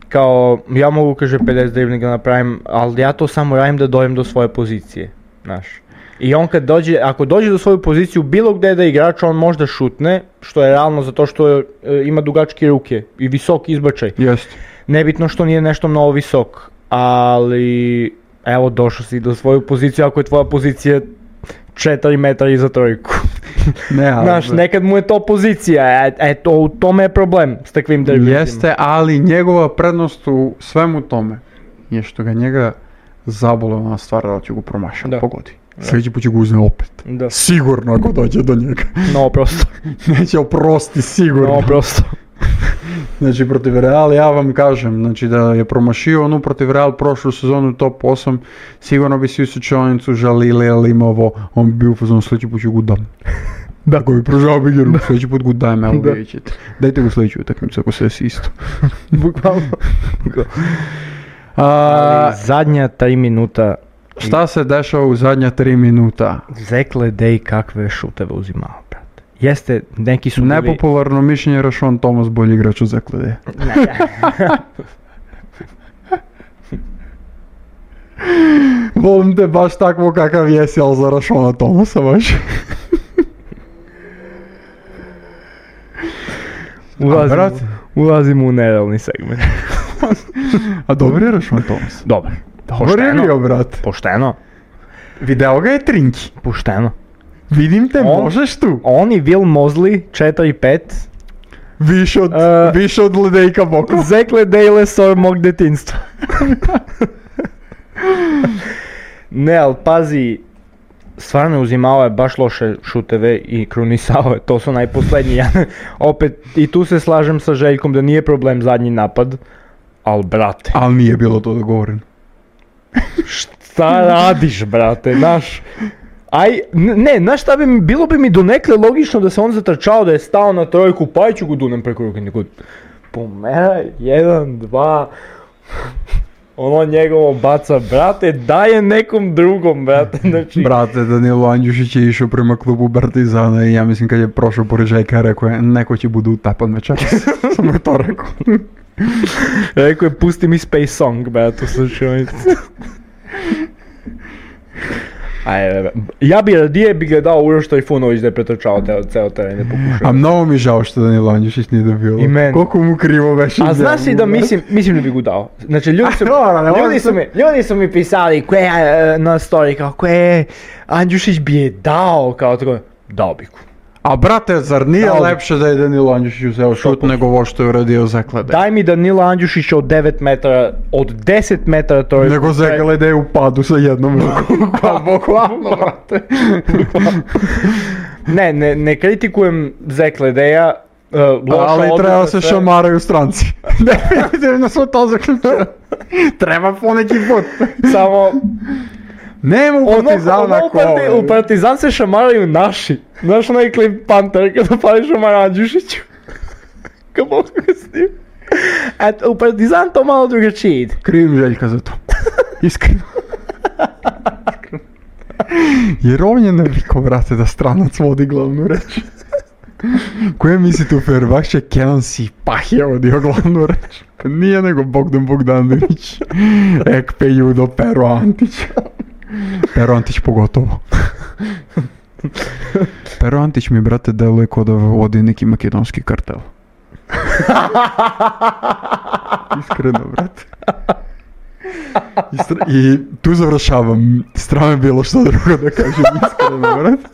kao, ja mogu, kaže, 50 driblinga napravim, ali ja to samo radim da dojem do svoje pozicije, znaš. I on kad ako dođe do svoju poziciju bilo gdje da igrač, on možda šutne, što je realno zato što ima dugačke ruke i visok izbačaj. Jest. Nebitno što nije nešto mnogo visok, ali evo došao si do svoju poziciju ako je tvoja pozicija 4 metra iza trojku. Znaš, nekad mu je to pozicija, u tome je problem s takvim driblingima. Jeste, ali njegova prednost u svemu tome je što ga njega zabole ona stvar da će go promašati, pogodi. Sljedeći put će ga uzme opet. Da. Sigurno ako dođe do njega. No, prosto. Neće oprosti, sigurno. No, prosto. Znači, protiv Real, ja vam kažem, znači da je promašio onu protiv Real prošlu sezonu top 8, sigurno bi si u sučonicu žalili, ali imao on bi bio u fazonu, sljedeći put ću ga dam. Da. Ako bi prožao bi ga, sljedeći put ga dajem, evo vidjet ćete. Dajte ga sljedeću utakmicu ako se desi isto. Bukvalno. Zadnja 3 minuta. Šta se dešava u zadnja 3 minuta? Zach LeDay kakve šuteve uzimao, brate. Jeste, neki su bili... Nepopularno mišljenje, Rashawn Thomas bolji igrač od Zach LeDay. Volim te baš takvo kakav jesi, ali za Rashawna Thomasa baš. Ulazimo u nerealni segment. A dobar je Rashawn Thomas? Dobar. Pošteno, brat. Pošteno. Video ga je Trinki. Pošteno. Vidim te, možeš tu. On i Will Mosley, 4-5. Više od Ledejka boka. Zach LeDay lesor mog detinstva. Ne, ali pazi, stvarno uzimao je baš loše šuteve i krunisao je, to su najposlednji. Opet, i tu se slažem sa Željkom da nije problem zadnji napad, ali brate. Ali nije bilo to dogovoreno. Šta radiš, brate, znaš? Znaš šta bilo bi mi donekle logično da se on zatrčao, da je stao na trojku, pa ću go dunem preko ruke, nego pomeraj, 1, 2, ono njegovo baca, brate, daje nekom drugom, brate, znači... Brate, Danilo Andjušić je išao prema klubu Partizana i ja mislim kad je prošao pored Željka, rekao je, neko će budu utapan večeras, sam je to rekao. Rekao je, pusti mi Space Song, brate, slušaj. Ja bi radije ga dao Uroš Trifunović da je pretrčao ceo teren, ne pokušao. A mnogo mi žao što Danilo Andjušić nije dobio. I meni. Koliko mu krivo već. A znaš li da mislim da bi ga dao. Znači ljudi su mi pisali na story kao Andjušić bi je dao kao tako. Dao bi ga. A brate, zar nije lepše da je Danilo Andjušić uzeo šut nego ovo što je uradio Zach LeDay? Daj mi Danilo Andjušić od 9 metara, od 10 metara trojku. Nego Zach LeDay u padu sa jednom rukom. Pa bukvalno, brate. Ne kritikujem Zach LeDaya. Ali treba se šamaraju stranci. Definitivno smo to zaključili. Treba poneki put. Samo... Nema u Partizana u Partizan se šamaraju naši. Znaš onaj klip Panter kada pali šamar Andjušiću? Kad mogu ga snim? U Partizan to malo drugačije ide. Krivim Željka za to. Iskreno. Jer on je navikao, brate, da stranac vodi glavnu reč. Koje mislite u Fenerbahče, Kenan Sipah je vodio glavnu reč? Pa nije nego Bogdan Bogdanović, Ekpe Judo, Pero Antić. Pero Antić pogotovo. Pero Antić mi, brate, deluje kao da vodi neki makedonski kartel. Iskreno, brate. I tu završavam. Strano je bilo što drugo da kažem, iskreno, brate.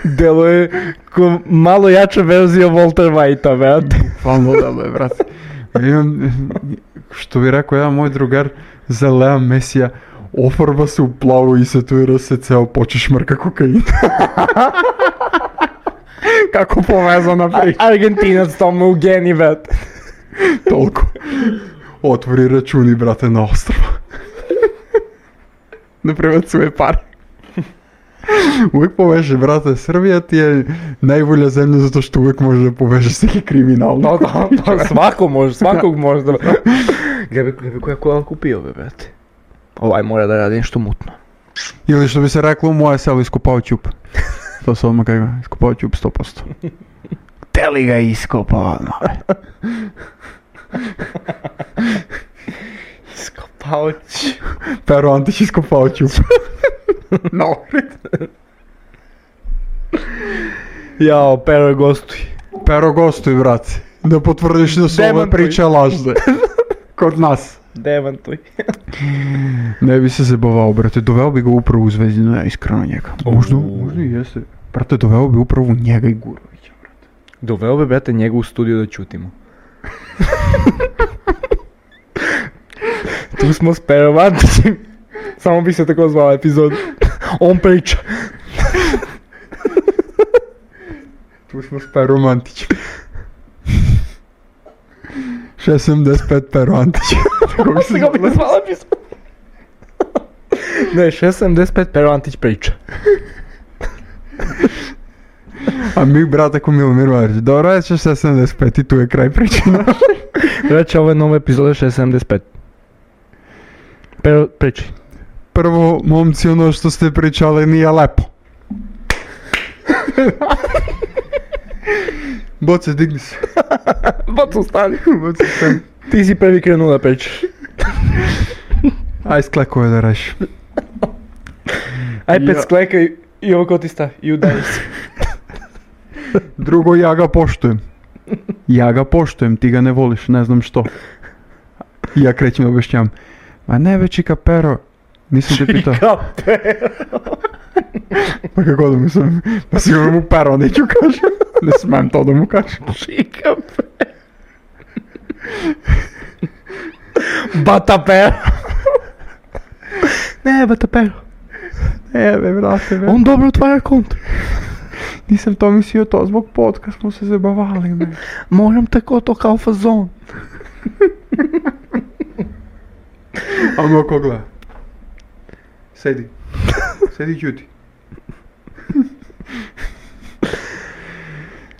Deluje ko malo jača verzija Walter Whitea, brate. Hvala deluje, brate. Što bi rekao jedan moj drugar za Lea Mesija, ofarba se u plavu i satuira se ceo počeš šmrka kokain. Kako povezana priča. Argentinac tome u geni, brate. Toliko. Otvori računi, brate, na ostrvo. Ne prebacuje pare. Uvijek poveže, brate, Srbija ti je najbolja zemlja zato što uvijek može da poveže svaki kriminal. No, svakog može da... Glebi koja kola kupio, brate. Ovaj mora da radi nešto mutno. Ili što bi se reklo, u moje selo iskopao ćup. To se odmah kaže, iskopao ćup 100%. Te li ga iskopao odmah? Iskopao ćup. Pero Antić iskopao ćup. No. Jao, Pero gostuj. Pero gostuj, brate. Da potvrdiš da su ove priče lažne. Kod nas. Demantuj. Ne bi se zabavao, brate. Doveo bi ga upravo u Zvezdinu, ja iskreno njega. Možda i jeste. Brate, doveo bi upravo njega i Gurovića, brate. Doveo bi, brate, njega u studiju da čutimo. Tu smo s Perom Antićem. Samo bi se tako zvala epizod. On priča. Tu smo s Perom Antićem. 675 Pero Antić. Kako bi se zvala epizod? Ne, 675 Pero Antić priča. A mi, brate, ko Milomir Marić. Dobro, rećeš 675 i tu je kraj priče. Reći, ovo je nova epizoda 675. Pero, priči. Prvo, momci, ono što ste pričali nije lepo. Boce, digni se. Boce, stani. Ti si prvi krenuo da pričaš. Aj, sklekove da reši. Aj, pet sklekaj i ovo ko ti stavi. I udaj se. Drugo, ja ga poštujem. Ja ga poštujem, ti ga ne voliš, ne znam što. I ja krećem da objašnjam. Ma ne već Čika Pero, nisam te pitao. Čika Pero. Pa kako da mislim, pa sigurno mu Pero neću kažem. Ne smem to da mu kažem. Čika Pero. Bata Pero. Ne, Bata Pero. Ne, be, brate, be. On dobro otvara kontra. Nisam to mislio to zbog podka, smo se zabavali, me. Moram tako to kao fazon. A ono ko gleda? Sedi. Sedi i ćuti.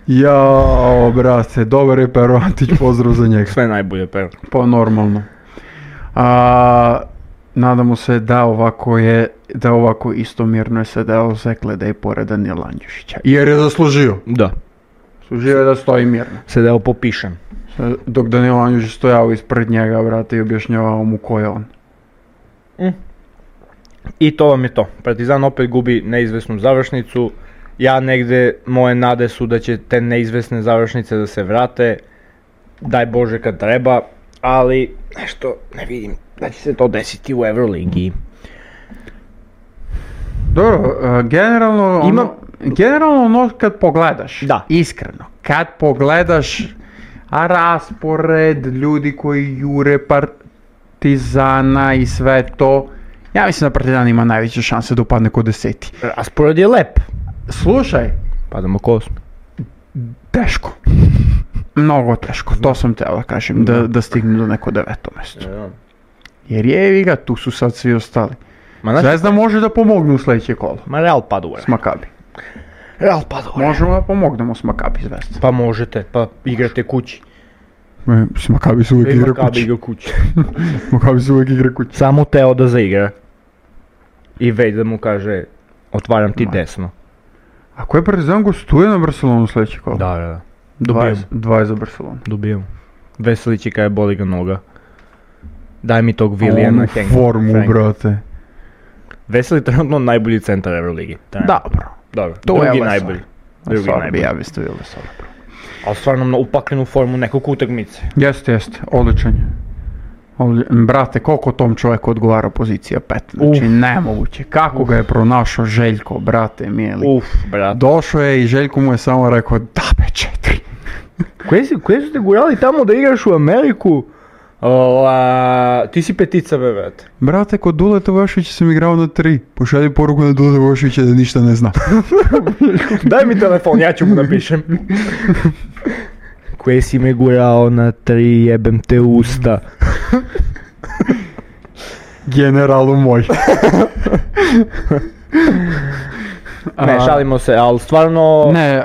Jao, brate, dobar je Pero Antić, pozdrav za njega. Sve najbolje, Pero. Pa normalno. Nadamo se da ovako istomirno je sedeo Zekleda i pored Danila Andjušića. Jer je zaslužio. Da. Služio je da stoji mirno. Sedeo popišen. Dok Danilo Andjušić stojao ispred njega, brate, i objašnjavao mu ko je on. I to vam je to. Partizan opet gubi neizvesnu završnicu. Ja negde, moje nade su da će te neizvesne završnice da se vrate. Daj Bože kad treba. Ali nešto ne vidim da će se to desiti u Euroligi. Dobro, generalno ono kad pogledaš, da. Iskreno, kad pogledaš raspored ljudi koji jure Partizana i sve to, ja mislim da Partizan ima najveće šanse da upadne kod 10. Raspored je lep. Slušaj. Padamo ko 8. Teško. Mnogo teško, to sam teo da kažem, da stignu do neko 9. mjesto. Jer jevi ga, tu su sad svi ostali. Zvezda može da pomogne u sljedeće kolo. Ma Real padu. S Makabi. Real padu. Možemo da pomognemo s Makabi Zvezda. Pa možete, pa igrate kući. S Makabi su uvijek igra kući. Makabi su uvijek igra kući. Samo Teo da zaigra. I Vejt da mu kaže, otvaram ti desno. Ako je Partizan gostuje na Barcelonu sljedeće kolo? Da. 20 za Barcelonu. Dobijemo. Veselići kada je boli ga noga. Daj mi tog Vilijana Henga. Formu, brate. Veseli trenutno najbolji centar Euroligi. Dobro. Drugi najbolji. Ja bi stavio Veseli. Ali stvarno na upakljenu formu nekog utakmice. Jeste, odličan je. Brate, koliko tom čovjeku odgovara pozicija 5, znači nemoguće. Kako ga je pronašao Željko, brate mijeli. Brate. Došao je i Željko mu je samo rekao, da be 4. Koje su te gurali tamo da igraš u Ameriku? Ti si petica, brate. Brate, kod Duleta Vojoševića sam igrao na 3. Pošalji poruku na Duleta Vojoševića da ništa ne zna. Daj mi telefon, ja ću mu napišem. Koje si me gurao na 3, jebem te usta. Generalu moj. Ne, šalimo se, ali stvarno... Ne,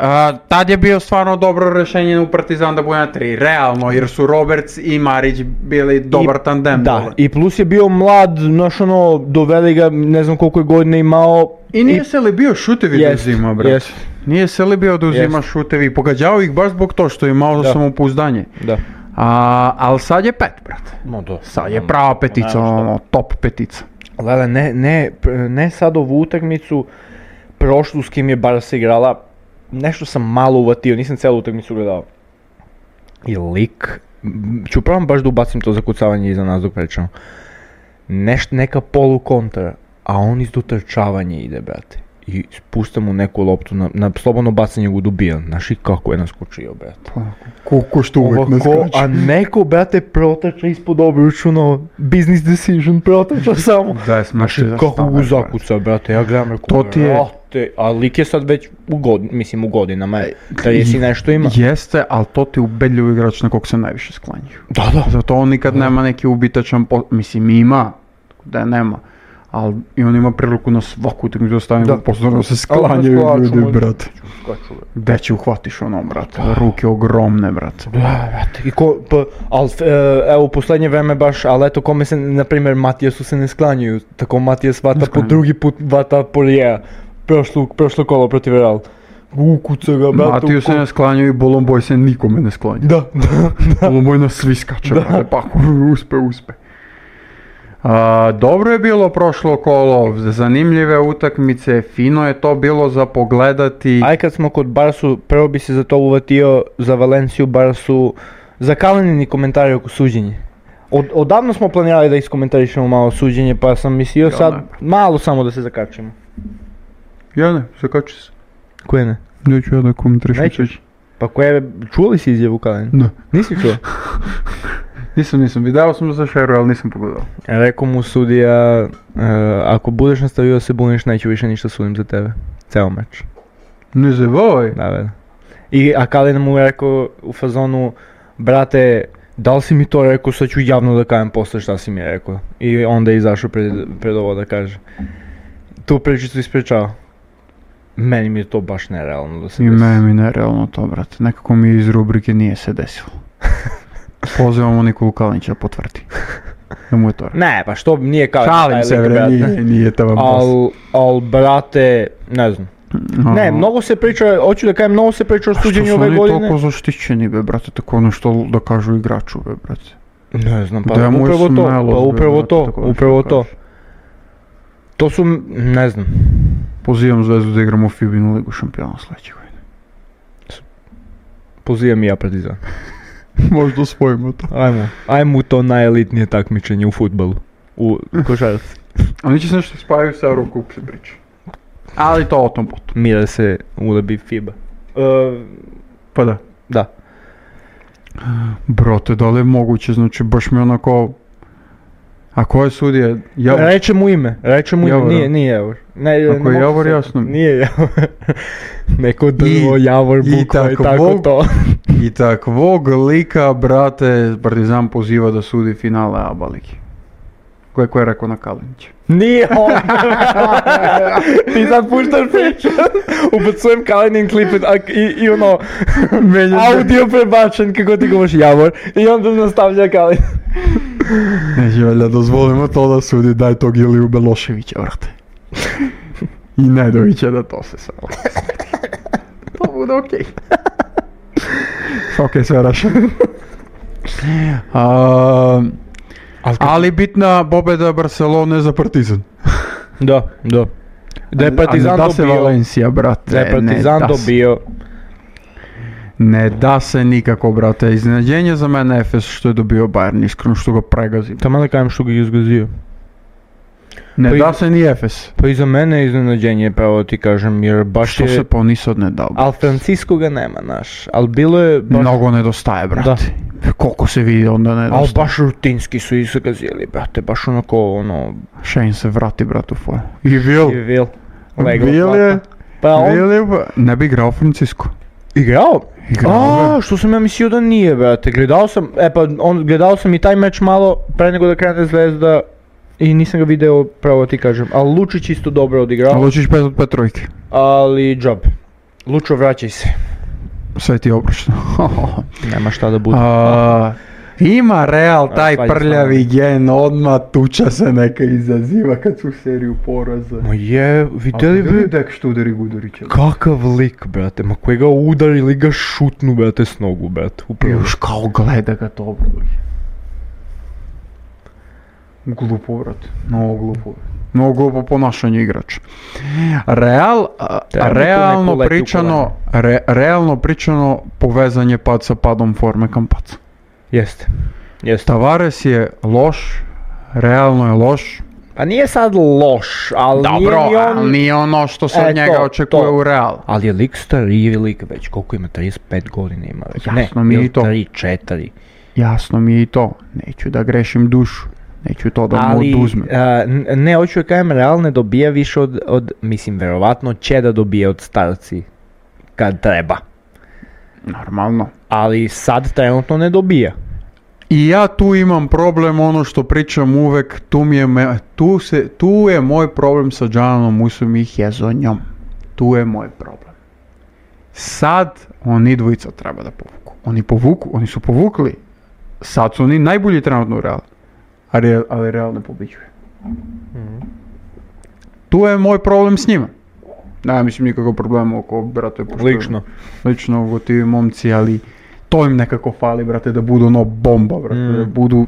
tad je bio stvarno dobro rješenje u Partizan da bude na 3, realno, jer su Roberts i Marić bili dobar tandem. Da, i plus je bio mlad, znaš ono, doveli ga, ne znam koliko je godine imao... I nije se li bio šutevi da uzima, brat? Nije se li bio da uzima šutevi, pogađao ih baš zbog to što je imao samopouzdanje. Da. Ali sad je 5, brate. Sad je prava petica, top petica. Lele, ne sad ovu utakmicu, prošlu s kim je Barca igrala, nešto sam malo uvatio, nisam celu utakmicu gledao. I lik, ću pravom baš da ubacim to zakucavanje iza nas dok pričamo. Neka polu kontra, a on iz dotrčavanja ide, brate. I spušta mu neku loptu, na slobodno bacanje ga dobija. Znaš i kako je naskočio, brate. Ko što uvijek naskoči. A neko, brate, protrča ispod obruča, business decision, protrča samo. Znaš i kako ga zakuca, brate, ja gledam rekao, brate, a lik je sad već u godinama, da jesi nešto ima. Jeste, ali to ti ubedljiv igrač na kog se najviše sklanjaju. Da. Zato on nikad nema neki ubitačan, ima, da nema. Ali i on ima priliku na svaku utakmicu da stavimo pozorno se sklanjaju ljudi, brate. Gde će uhvatiš ono, brate, ruke ogromne, brate. Brate, evo u poslednje vreme baš, ali eto kome se, na primjer, Matijasu se ne sklanjaju, tako Matijas vata po drugi put, vata Porija, prošlo kolo protiv Real. Kuca ga, brate. Matiju se ne sklanjaju i Bolomboj se nikome ne sklanjaju. Da. Bolomboj nas svi skače, brate, pa uspe. Dobro je bilo prošlo kolo, zanimljive utakmice, fino je to bilo za pogledati. Aj kad smo kod Barsu, prvo bi se za to uvatio, za Valenciju, Barsu, za Kalenini komentari oko suđenja. Odavno smo planirali da iskomentarišemo malo suđenje, pa sam mislio sad malo samo da se zakačimo. Ja ne, zakači se. Koje ne? Neću ja da komentarišem suđenje. Pa čuo li si izjavu Kalenina? Da. Nisi čuo? Nisam, video sam za šeru, ali nisam pogledao. Rekao mu sudija, ako budeš nastavio da se buniš, neću više ništa sudim za tebe. Ceo meč. Ne zavaj? Da. A Kalina mu je rekao u fazonu, brate, da li si mi to rekao, sad ću javno da kajem posle šta si mi je rekao. I onda je izašao pred ovo da kaže. Tu pričicu ispričao. Meni mi je to baš nerealno da se desi. I meni mi nerealno to, brate. Nekako mi iz rubrike nije se desilo. Pozivamo Nikolu Kalinića da potvrdi. Da mu je to. Ne, pa što nije Kalinić. Šalim se, bre, nije tavan pas. Al, brate, ne znam. Ne, mnogo se priča, hoću da kajem, mnogo se priča o suđenju ove godine. Što su oni toliko zaštićeni, be, brate, tako nešto da kažu igraču, be, brate. Ne znam, pa upravo to. To su, ne znam. Pozivam Zvezdu da igramo FIBA-inu ligu šampiona sljedeće godine. Pozivam i ja Partizan. Možda osvojimo to. Ajmo to najelitnije takmičenje u fudbalu. U košarci. Oni će se nešto spajaju sa Eurocup se priča. Ali to o tom potom. Mira se ulebi FIBA. Pa da. Da. Brate, da li je moguće, znači baš mi onako... A ko je sudija? Javor? Reče mu ime, nije Javor. Ako je Javor, jasno. Nije Javor. Neko drvo, Javor, bukva i tako to. I takvog lika, brate, Partizan poziva da sudi finale ABA ligi. Ko je rekao na Kalinića? Nije on! Ti sad puštaš priču, ubacujem Kalinin klip i ono, audio prebačen kako ti govoriš Javor i onda nastavlja Kalin. Neće valjda dozvolimo to da sudi, daj tog Iliju Beloševića, vrte. I Nedovića da to se samo. To bude okej. Okej, sve rašeno. Ali bitna pobjeda Barcelone za Partizan. Da. Da je Partizan dobio... Da se Valencia, brate. Da je Partizan dobio... Ne da se nikako, brate. Iznenađenje za mene Efes što je dobio Bayern, iskreno što ga pregazio. Tamo ne kajem što ga izgazio. Ne da se ni Efes. Pa i za mene je iznenađenje, pravo ti kažem, jer baš što je... Što se pa nisad ne dao. Al Francisco ga nema, naš. Al bilo je baš... Mnogo nedostaje, brate. Da. Koliko se vidi onda nedostaje. Al baš rutinski su izgazili, brate. Baš onako, ono... Shane se vrati, brate, u formu. I Will. Will je... Ne bi igrao Francisco. Igrao? Što sam ja mislio da nije, brate. Gledao sam i taj meč malo, pre nego da krene Zvezda I nisam ga video, pravo ti kažem, ali Lučić isto dobro odigrao. Lučić 5 od 5 trojke. Ali džab. Lučo, vraćaj se. Sve ti opročno. Nema šta da bude. Ima Real taj prljavi gen, odmah tuča se neka izaziva kad su seriju poraza. Ma je, vidjeli bi... Videk što udari Gudurića. Kakav lik, brate, ma koji ga udari ili ga šutnu, brate, s nogu, brate. Još kao gleda ga to, brate. Glupo, brate, mnogo glupo. Mnogo glupo ponašanje igrača. Realno pričano povezanje pad sa padom forme Campazza. Jeste. Tavares je loš, realno je loš. Pa nije sad loš, ali nije ono što se od njega očekuje u Realu. Ali je lik stariji lik već, koliko ima, 35 godina ima već. Jasno mi je i to. 3-4. Jasno mi je i to, neću da grešim dušu. Neću to da mu oduzmem. Ne, hoću da kajem, Real ne dobija više od, mislim, verovatno će da dobije od starci kad treba. Normalno. Ali sad trenutno ne dobija. I ja tu imam problem, ono što pričam uvek, tu je moj problem sa Džanom Musom i Hezonjom. Tu je moj problem. Sad oni dvojica treba da povuku. Oni su povukli. Sad su oni najbolji trenutno u Realu. Ali Real ne pobiđuje. Tu je moj problem s njima. Ne, mislim nikakav problem oko, brate, lično oko ti momci, ali to im nekako fali, brate, da budu ono bomba, brate, da budu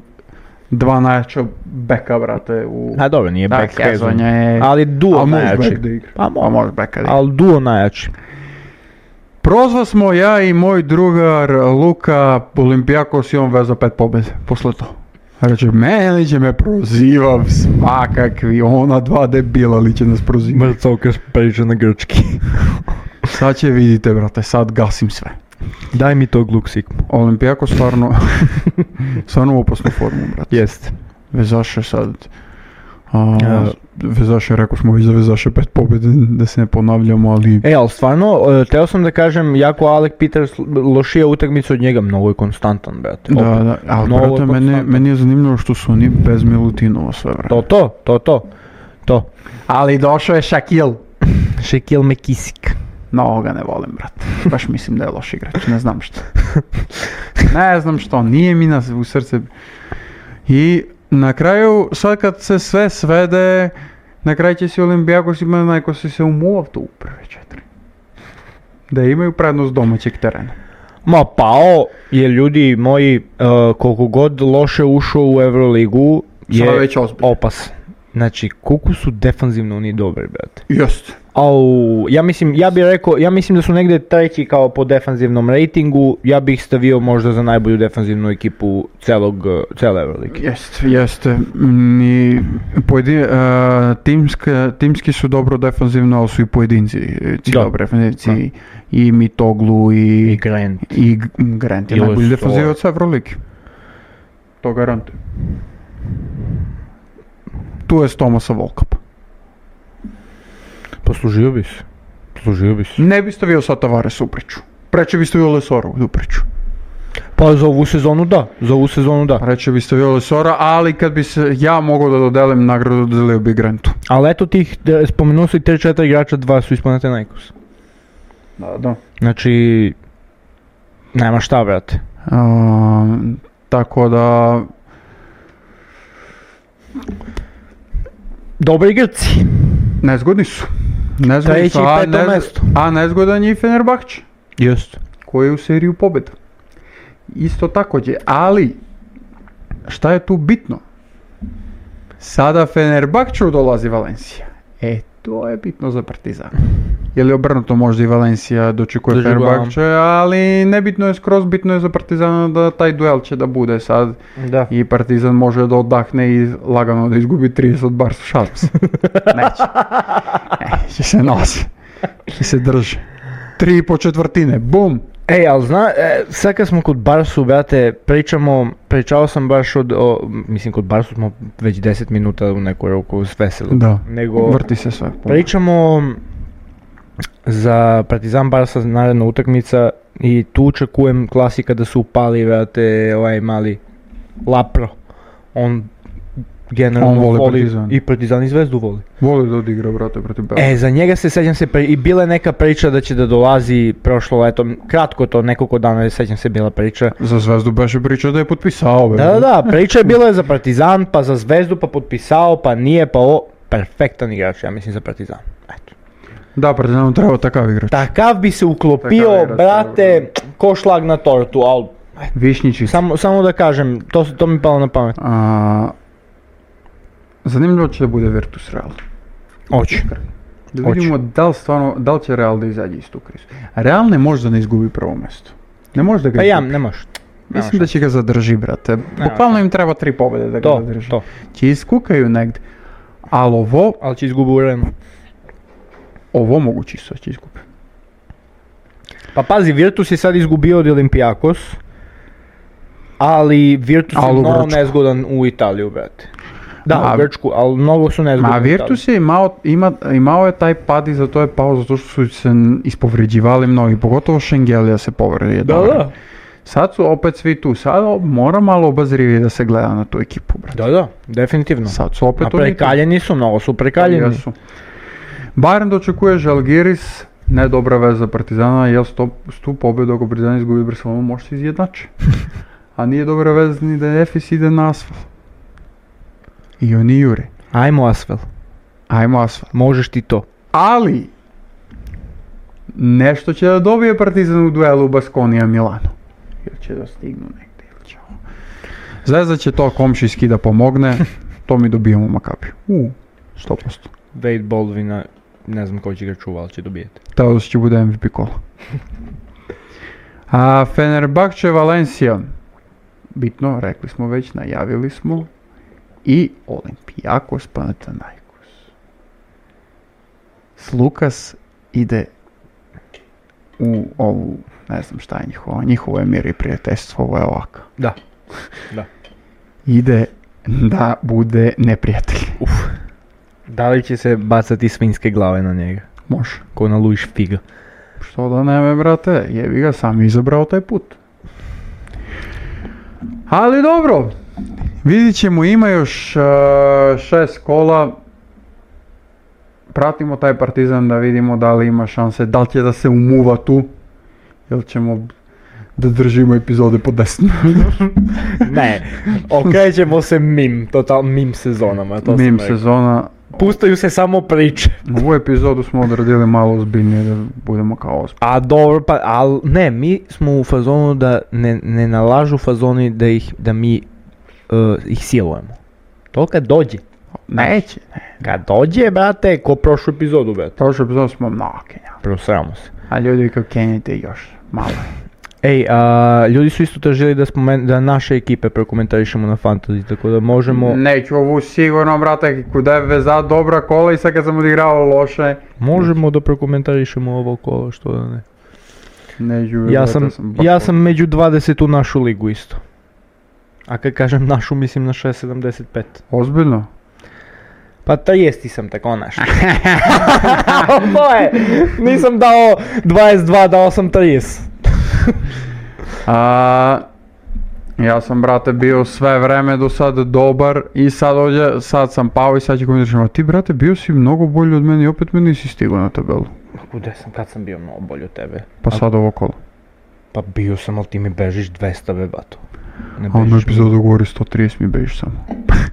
dva najjača beka, brate, A dobro, nije bek Hezonja, ali duo najjači. Može beka da igra. Ali duo najjači. Prozva smo ja i moj drugar Luka Olympiakos i on vezao 5 pobjede posle to. Reče, meni će me prozivav svakakvi, ona dva debila li će nas prozivati. Mrcovka priča na grčki. Sad će vidite, brate, sad gasim sve. Daj mi tog Luksikmu. Olympiakos stvarno opasnu formu, brate. Jeste. Vezaše sad, Vezaše, rekao smo već da Vezaše 5 pobjede, da se ne ponavljamo, ali... Ali stvarno, teo sam da kažem, jako Alec Peters lošija utakmica od njega, mnogo je konstantan, brate. Da, ali brate, meni je zanimljivo što su oni bez Milutinova sve vreme. To. Ali došao je Shaquille McKissick. No, ga ne volim, brate. Baš mislim da je loš igrač, ne znam što. Nije mi u srce. I na kraju, sad kad se sve svede, na kraju će si Olympiakos imati najko se umuva tu u prve 4. Da imaju prednost domaćeg terena. Ma pao je, ljudi moji, koliko god loše ušao u Euroligu je opas. Znači, koliko su defanzivno oni dobri, brate. Jeste. Ja mislim da su negdje treći kao po defanzivnom ratingu, ja bih stavio možda za najbolju defanzivnu ekipu cijele Euroligi. Jeste. Timski su dobro defanzivno, ali su i pojedinci dobro defanzivci. I Mitoglu i Grant je najbolji defanzivac Euroligi. To garantujem. Tu je Tomasa Volkapa. Poslužio bi se. Ne bi stavio sad Tavares u priču. Preče bi stavio Lesora u priču. Pa za ovu sezonu da. Preče bi stavio Lesora, ali kad bi se ja mogao da dodelim nagradu, dodelio bi Grantu. Ali eto tih, spomenuo si 3-4 igrača, 2 su ispanate Naikos. Da. Znači, nema šta, brate. Tako da... Dobri Grci. Nezgodni su. Treći i peto mesto. A nezgodan je i Fenerbahče. Jest. Koji je u seriju pobjeda. Isto također. Ali, šta je tu bitno? Sada Fenerbahču dolazi Valencija. To je bitno za Partizan. Je li obrnuto, možda i Valencija dočekuje Fenerbahče, ali nebitno je skroz, bitno je za Partizana da taj duel će da bude sad. Da. I Partizan može da odahne i lagano da izgubi 30 od Barsu, šalim se. Neće se nosi. Se drži. 3,5 bum. Ali sad kad smo kod Barsu, brate, pričao sam baš mislim kod Barsu smo već 10 minuta u neku roku s veselom. Da, vrti se sve. Pričamo za Partizan Barsa naredna utakmica i tu očekujem klasika da se upali, brate, ovaj mali Lapro. On generalno voli i Partizan i Zvezdu voli. Voli da odigra, brate, protiv Beograda. Za njega se sećam se, i bila je neka priča da će da dolazi prošlo leto, kratko to, nekoliko dana, sećam se bila priča. Za Zvezdu beše priča da je potpisao. Da, priča je bila za Partizan, pa za Zvezdu, pa potpisao, pa nije, pa perfektan igrač, ja mislim, za Partizan. Eto. Da, Partizanu treba takav igrač. Takav bi se uklopio, igrač, brate, ko šlag na tortu, ali... Višnjići. Samo da kažem, to mi palo na pamet. Zanimljivo će da bude Virtus Real. Hoće. Da vidimo da li će Real da izađe iz tu krizu. Real ne može da ne izgubi prvo mjesto. Ne može da ga izgubi. Ne može. Mislim da će ga zadrži, brate. Bukvalno im treba 3 pobjede da ga zadrži. Će iskukaju negdje. Ali će izgubi u Renu. Ovo mogu čisto će izgubi. Pa pazi, Virtus je sad izgubio od Olympiakos. Ali Virtus je mnogo nezgodan u Italiju, brate. Da, u Grčku, ali mnogo su nezgodni. Virtus je imao je taj pad i zato je pao, zato što su se ispovređivali mnogi, pogotovo Šengelija se povredio. Da. Sad su opet svi tu, sad mora malo obazrivije da se gleda na tu ekipu, brate. Da, definitivno. Sad su opet prekaljeni su, mnogo su prekaljeni. Bayern dočekuje Žalgiris, ne dobra veza za Partizana, jer s tu pobjedu ako Partizan izgubi Barcelonu može se izjednači. A nije dobra veza ni da Efes ide na Asvel. I oni jure. Ajmo Asvel. Možeš ti to. Ali, nešto će da dobije Partizan u duelu Baskonija Milano. Ili će da stignu negdje. Zvezda će to komšijski da pomogne. To mi dobijemo Makabiju. 100%. Wade Baldwina, ne znam ko će ga čuva, ali će dobijeti. Teo će bude MVP kola. Fenerbahče Valencia. Bitno, rekli smo već, najavili smo. I Olympiakos Panathinaikos. Slukas ide u ovu, ne znam šta je njihovo je mir i prijateljstvo, ovo je ovako. Da. Ide da bude neprijatelj. Da li će se bacati svinjske glave na njega? Može. Ko na Luis Figa. Što da ne, brate, jebi ga, sam izabrao taj put. Ali dobro, vidit ćemo, ima još 6 kola. Pratimo taj Partizan da vidimo da li ima šanse, da li će da se umuva tu, ili ćemo da držimo epizode po 10. Ne, okrećemo se mim sezonama. Mim sezona. Pustaju se samo priče. Ovu epizodu smo odradili malo ozbiljnije da budemo kao ozbiljni. A dobro, ali ne, mi smo u fazonu da ne nalažu fazoni da mi ih silujemo. To kad dođe. Neće. Kad dođe, brate, ko prošlu epizodu, brate. Prošlu epizodu smo mnogo kenjali. Prosramo se. A ljudi kao kenjate još malo. Ej, ljudi su isto tražili da naše ekipe prokomentarišemo na Fantasy, tako da možemo... Neću ovu sigurno, brate, kuda je veza dobra kola i sad kad sam odigrao loše... Možemo da prokomentarišemo ovo kola, što da ne. Neću, ja sam među 20 u našu ligu isto. A kad kažem našu, mislim na 6.75. Ozbiljno? Pa 30 sam tako našao. Nisam dao 22, dao sam 30. Ja sam, brate, bio sve vreme do sad dobar i sad sam pao i sad će komentarišem, a ti, brate, bio si mnogo bolji od mene i opet me nisi stigao na tabelu. Kad sam bio mnogo bolji od tebe? Pa sad ovo kolo. Pa bio sam, ali ti mi bežiš 200 bebato. A ono epizodu govori 130 mi bežiš samo.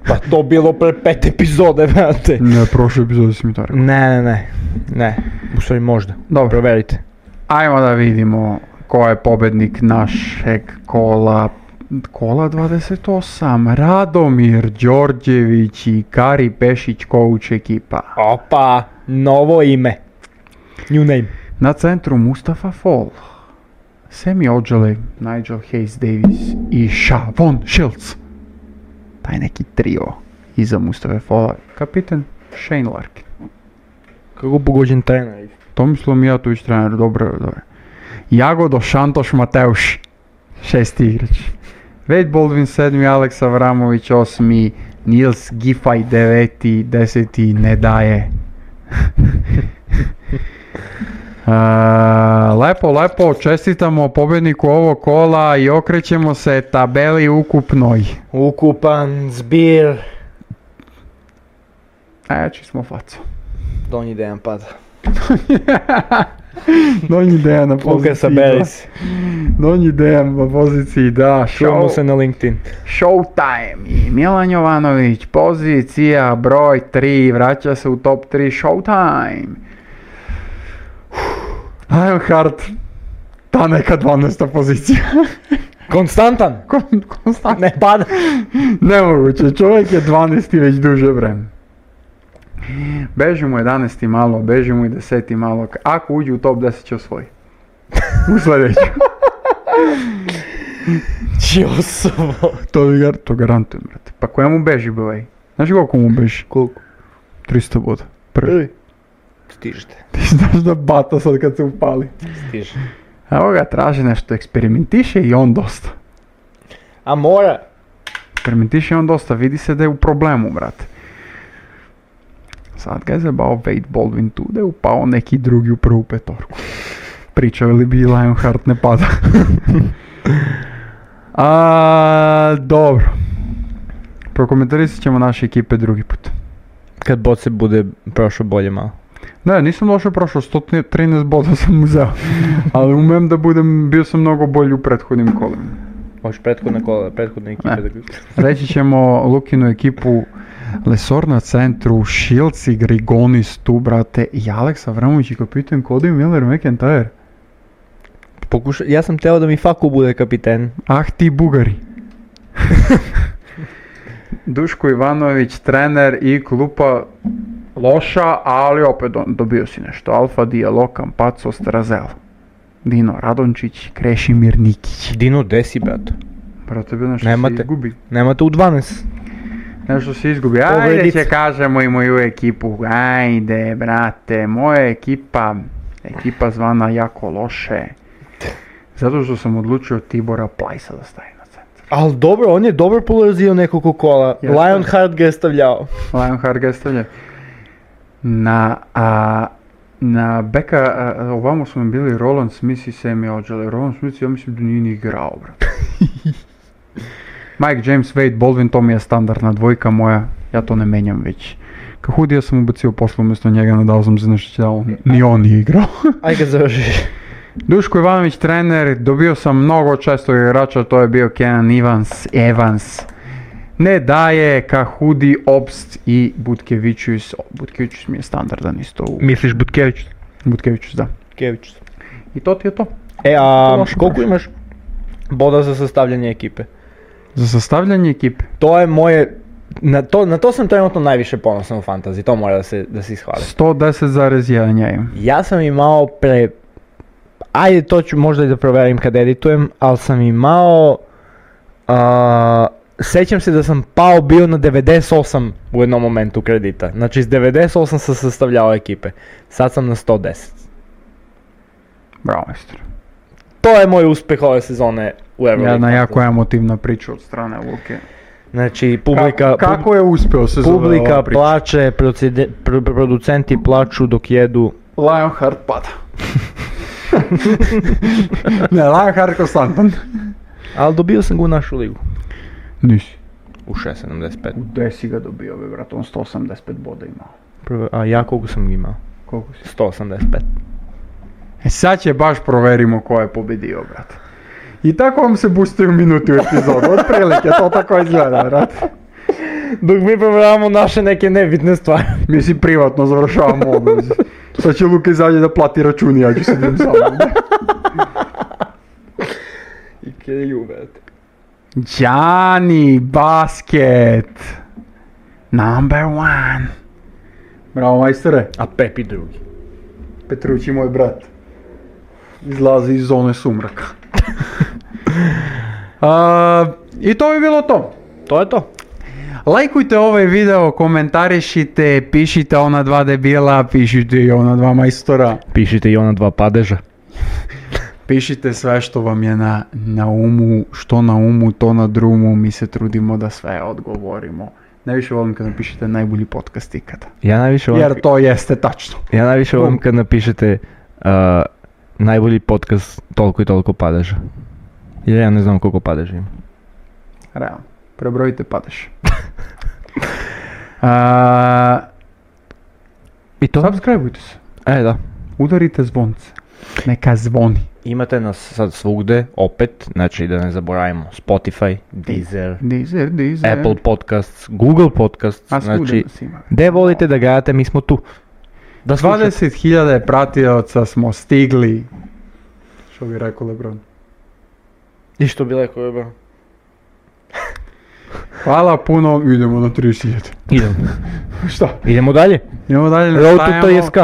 Pa to bilo pre 5 epizode, brate. Ne, prošle epizode si mi to rekao. Ne, u stvari možda. Dobro. Proverite. Ajmo da vidimo ko je pobednik našeg kola 28, Radomir Đorđević i Kari Pešić coach ekipa. Opa, novo ime. New name. Na centru Mustafa Fall, Semi Ođele, Nigel Hayes Davis i Shavon Shields. Taj neki trio iza Mustafa Falla. Kapitan Shane Larkin. Kako pogođen trener? Tomislav Mijatović trener, dobro. Jagodo Šantoš Mateuš, 6. igrač. Wade Baldwin 7. Alex Avramović 8. Nils Giffey 9. 10. ne daje. Lepo, čestitamo pobjedniku ovog kola i okrećemo se tabeli ukupnoj. Ukupan zbir Najjači smo faco. Donji Dejan pada. Donji Dejan na poziciji. Luka Sabelis. Donji Dejan na poziciji, da. Čujemo se na LinkedIn. Showtime i Milan Jovanović, pozicija broj 3, vraća se u top 3 Showtime. Lionheart, ta neka 12. pozicija. Konstantan? Konstantan. Ne pada. Nemoguće, čovjek je 12. već duže vreme. Beži mu 11. malo, beži mu i 10. malo. Ako uđe u top 10 će osvoji. U sljedeću. To garantujem, brate. Pa koja mu beži, boj? Znaš koliko mu beži? Koliko? 300 boda. Prvi. Stižete. Ti znaš da bata sad kad se upali. Stiže. Evo ga, traži nešto, eksperimentiše i on dosta. A mora. Eksperimentiše i on dosta, vidi se da je u problemu, brate. Sad ga je zabao Wade Baldwin tu, da je upao neki drugi u prvu petorku. Pričali li bi Lionheart ne pada. Dobro. Prokomentarisat ćemo naše ekipe drugi put. Kad Boce bude prošao bolje malo. Ne, nisam loše prošao, 113 boda sam uzeo. Ali umem da bio sam mnogo bolji u prethodnim kolima. Možeš prethodne ekipe da gledam. Reći ćemo Lukinu ekipu Lesor na centru, Shields i Grigonis tu, brate, i Aleksa Avramović i kapitan Cody Miller McIntyre. Ja sam teo da mi Faku bude kapiten. Ah ti Bugari. Duško Ivanović, trener i klupa loša, ali opet dobio si nešto. Alfa, Dijalo, Kampaco, Strazel. Dino Radončić, Krešimir Nikić. Dino, desi, brate. Brate, bio nešto se izgubi. Nemate u 12. Nešto se izgubi. Ajde će kažemo i moju ekipu. Ajde, brate, moja ekipa zvana jako loše. Zato što sam odlučio Tibora Plajsa da staje na centar. Ali dobro, on je dobro polarizio nekoliko kola. Lionheart ga je stavljao. Na beka, ovamo smo bili Roland Smith i Semi Ođele. Roland Smith, ja mislim da nije ni igrao, brate. Mike James, Wade Baldwin, to mi je standardna dvojka moja. Ja to ne menjam već. Kahudija sam ubacio posle umjesto njega, nadao sam se nešto da ni on nije igrao. Aj ga završiš. Duško Ivanović, trener, dobio sam mnogo čestog igrača, to je bio Kenan Evans. Ne daje Kahudi, Obst i Butkevičius. Butkevičius mi je standardan isto. Misliš Butkevičius? Butkevičius, da. Butkevičius. I to ti je to. Koliko imaš boda za sastavljanje ekipe? Za sastavljanje ekipe? To je moje... Na to sam trenutno najviše ponosan u fantasy, to mora da se ishvali. 110,1 ja imam. Ja sam imao ajde, to ću možda i da proverim kad editujem, ali sam imao... Sjećam se da sam bio na 98 u jednom momentu kredita. Znači s 98 sam sastavljao ekipe. Sad sam na 110. Bravo, majstor. To je moj uspjeh ove sezone u Euroleague. Jedna jako emotivna priča od strane Luke. Znači, publika... Kako je uspio se zove publika plače, producenti plaču dok jedu... Lionheart pada. Ne, Lionheart konstantan. Ali dobio sam ga u našu ligu. Nisi. U 6.75. U 10 ga dobio, brat, on 185 boda imao. A ja koliko sam imao? Koliko si? 185. Sad će baš proverimo ko je pobedio, brat. I tako vam se boostaju minuti u epizodu, otprilike, to tako izgleda, brat. Dok mi provjeravamo naše neke nebitne stvari. Mi si privatno završavamo obaveze. Sad će Luka izađe da plati računi, ja ću sedim sam. I keju, brate. Gianni Basket. Number 1. Bravo, majstore. A Pepi drugi. Petrući moj brat. Izlazi iz zone sumraka. I to bi bilo to. To je to. Lajkujte ovaj video, komentarišite, pišite ona dva debila, pišite i ona dva majstora. Pišite i ona dva padeža. Pišite sve što vam je na umu, što na umu, to na drumu, mi se trudimo da sve odgovorimo. Najviše volim kad napišete najbolji podcast ikada. Jer to jeste tačno. Ja najviše volim kad napišete najbolji podcast toliko i toliko padeža. Jer ja ne znam koliko padeža ima. Realno, prebrojite padež. I to? Subscribeujte se. Da. Udarite zvonce. Neka zvoni. Imate nas sad svugde, opet, znači da ne zaboravimo, Spotify, Deezer, Apple Podcasts, Google Podcasts, znači, gdje volite da gledate, mi smo tu. 20.000 pratioca smo stigli. Što bi rekao Lebron? I što bi rekao Lebron? Hvala puno, idemo na 30.000. Idemo. Šta? Idemo dalje. Road to TSK.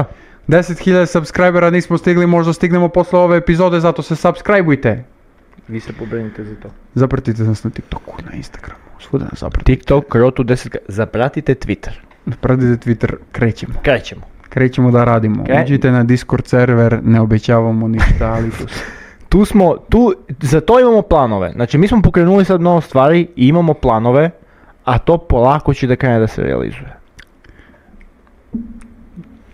10.000 subscribera nismo stigli, možda stignemo posle ove epizode, zato se subscribeujte. Vi se pobrinite za to. Zapratite nas na TikToku, na Instagramu, svuda nas zapratite. TikTok, Road to 10, zapratite Twitter. Zapratite Twitter, krećemo. Krećemo da radimo. Uđite na Discord server, ne obećavamo ništa, ali tu smo. Za to imamo planove. Znači mi smo pokrenuli sad mnogo stvari i imamo planove, a to polako će da krene da se realizuje.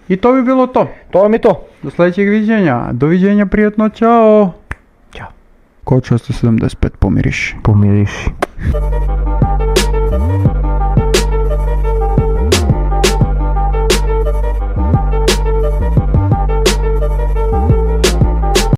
I to bi bilo to. To vam je to. Do sljedećeg viđenja. Doviđenja, prijatno, čao. Ćao. Ko 675 pomiriši.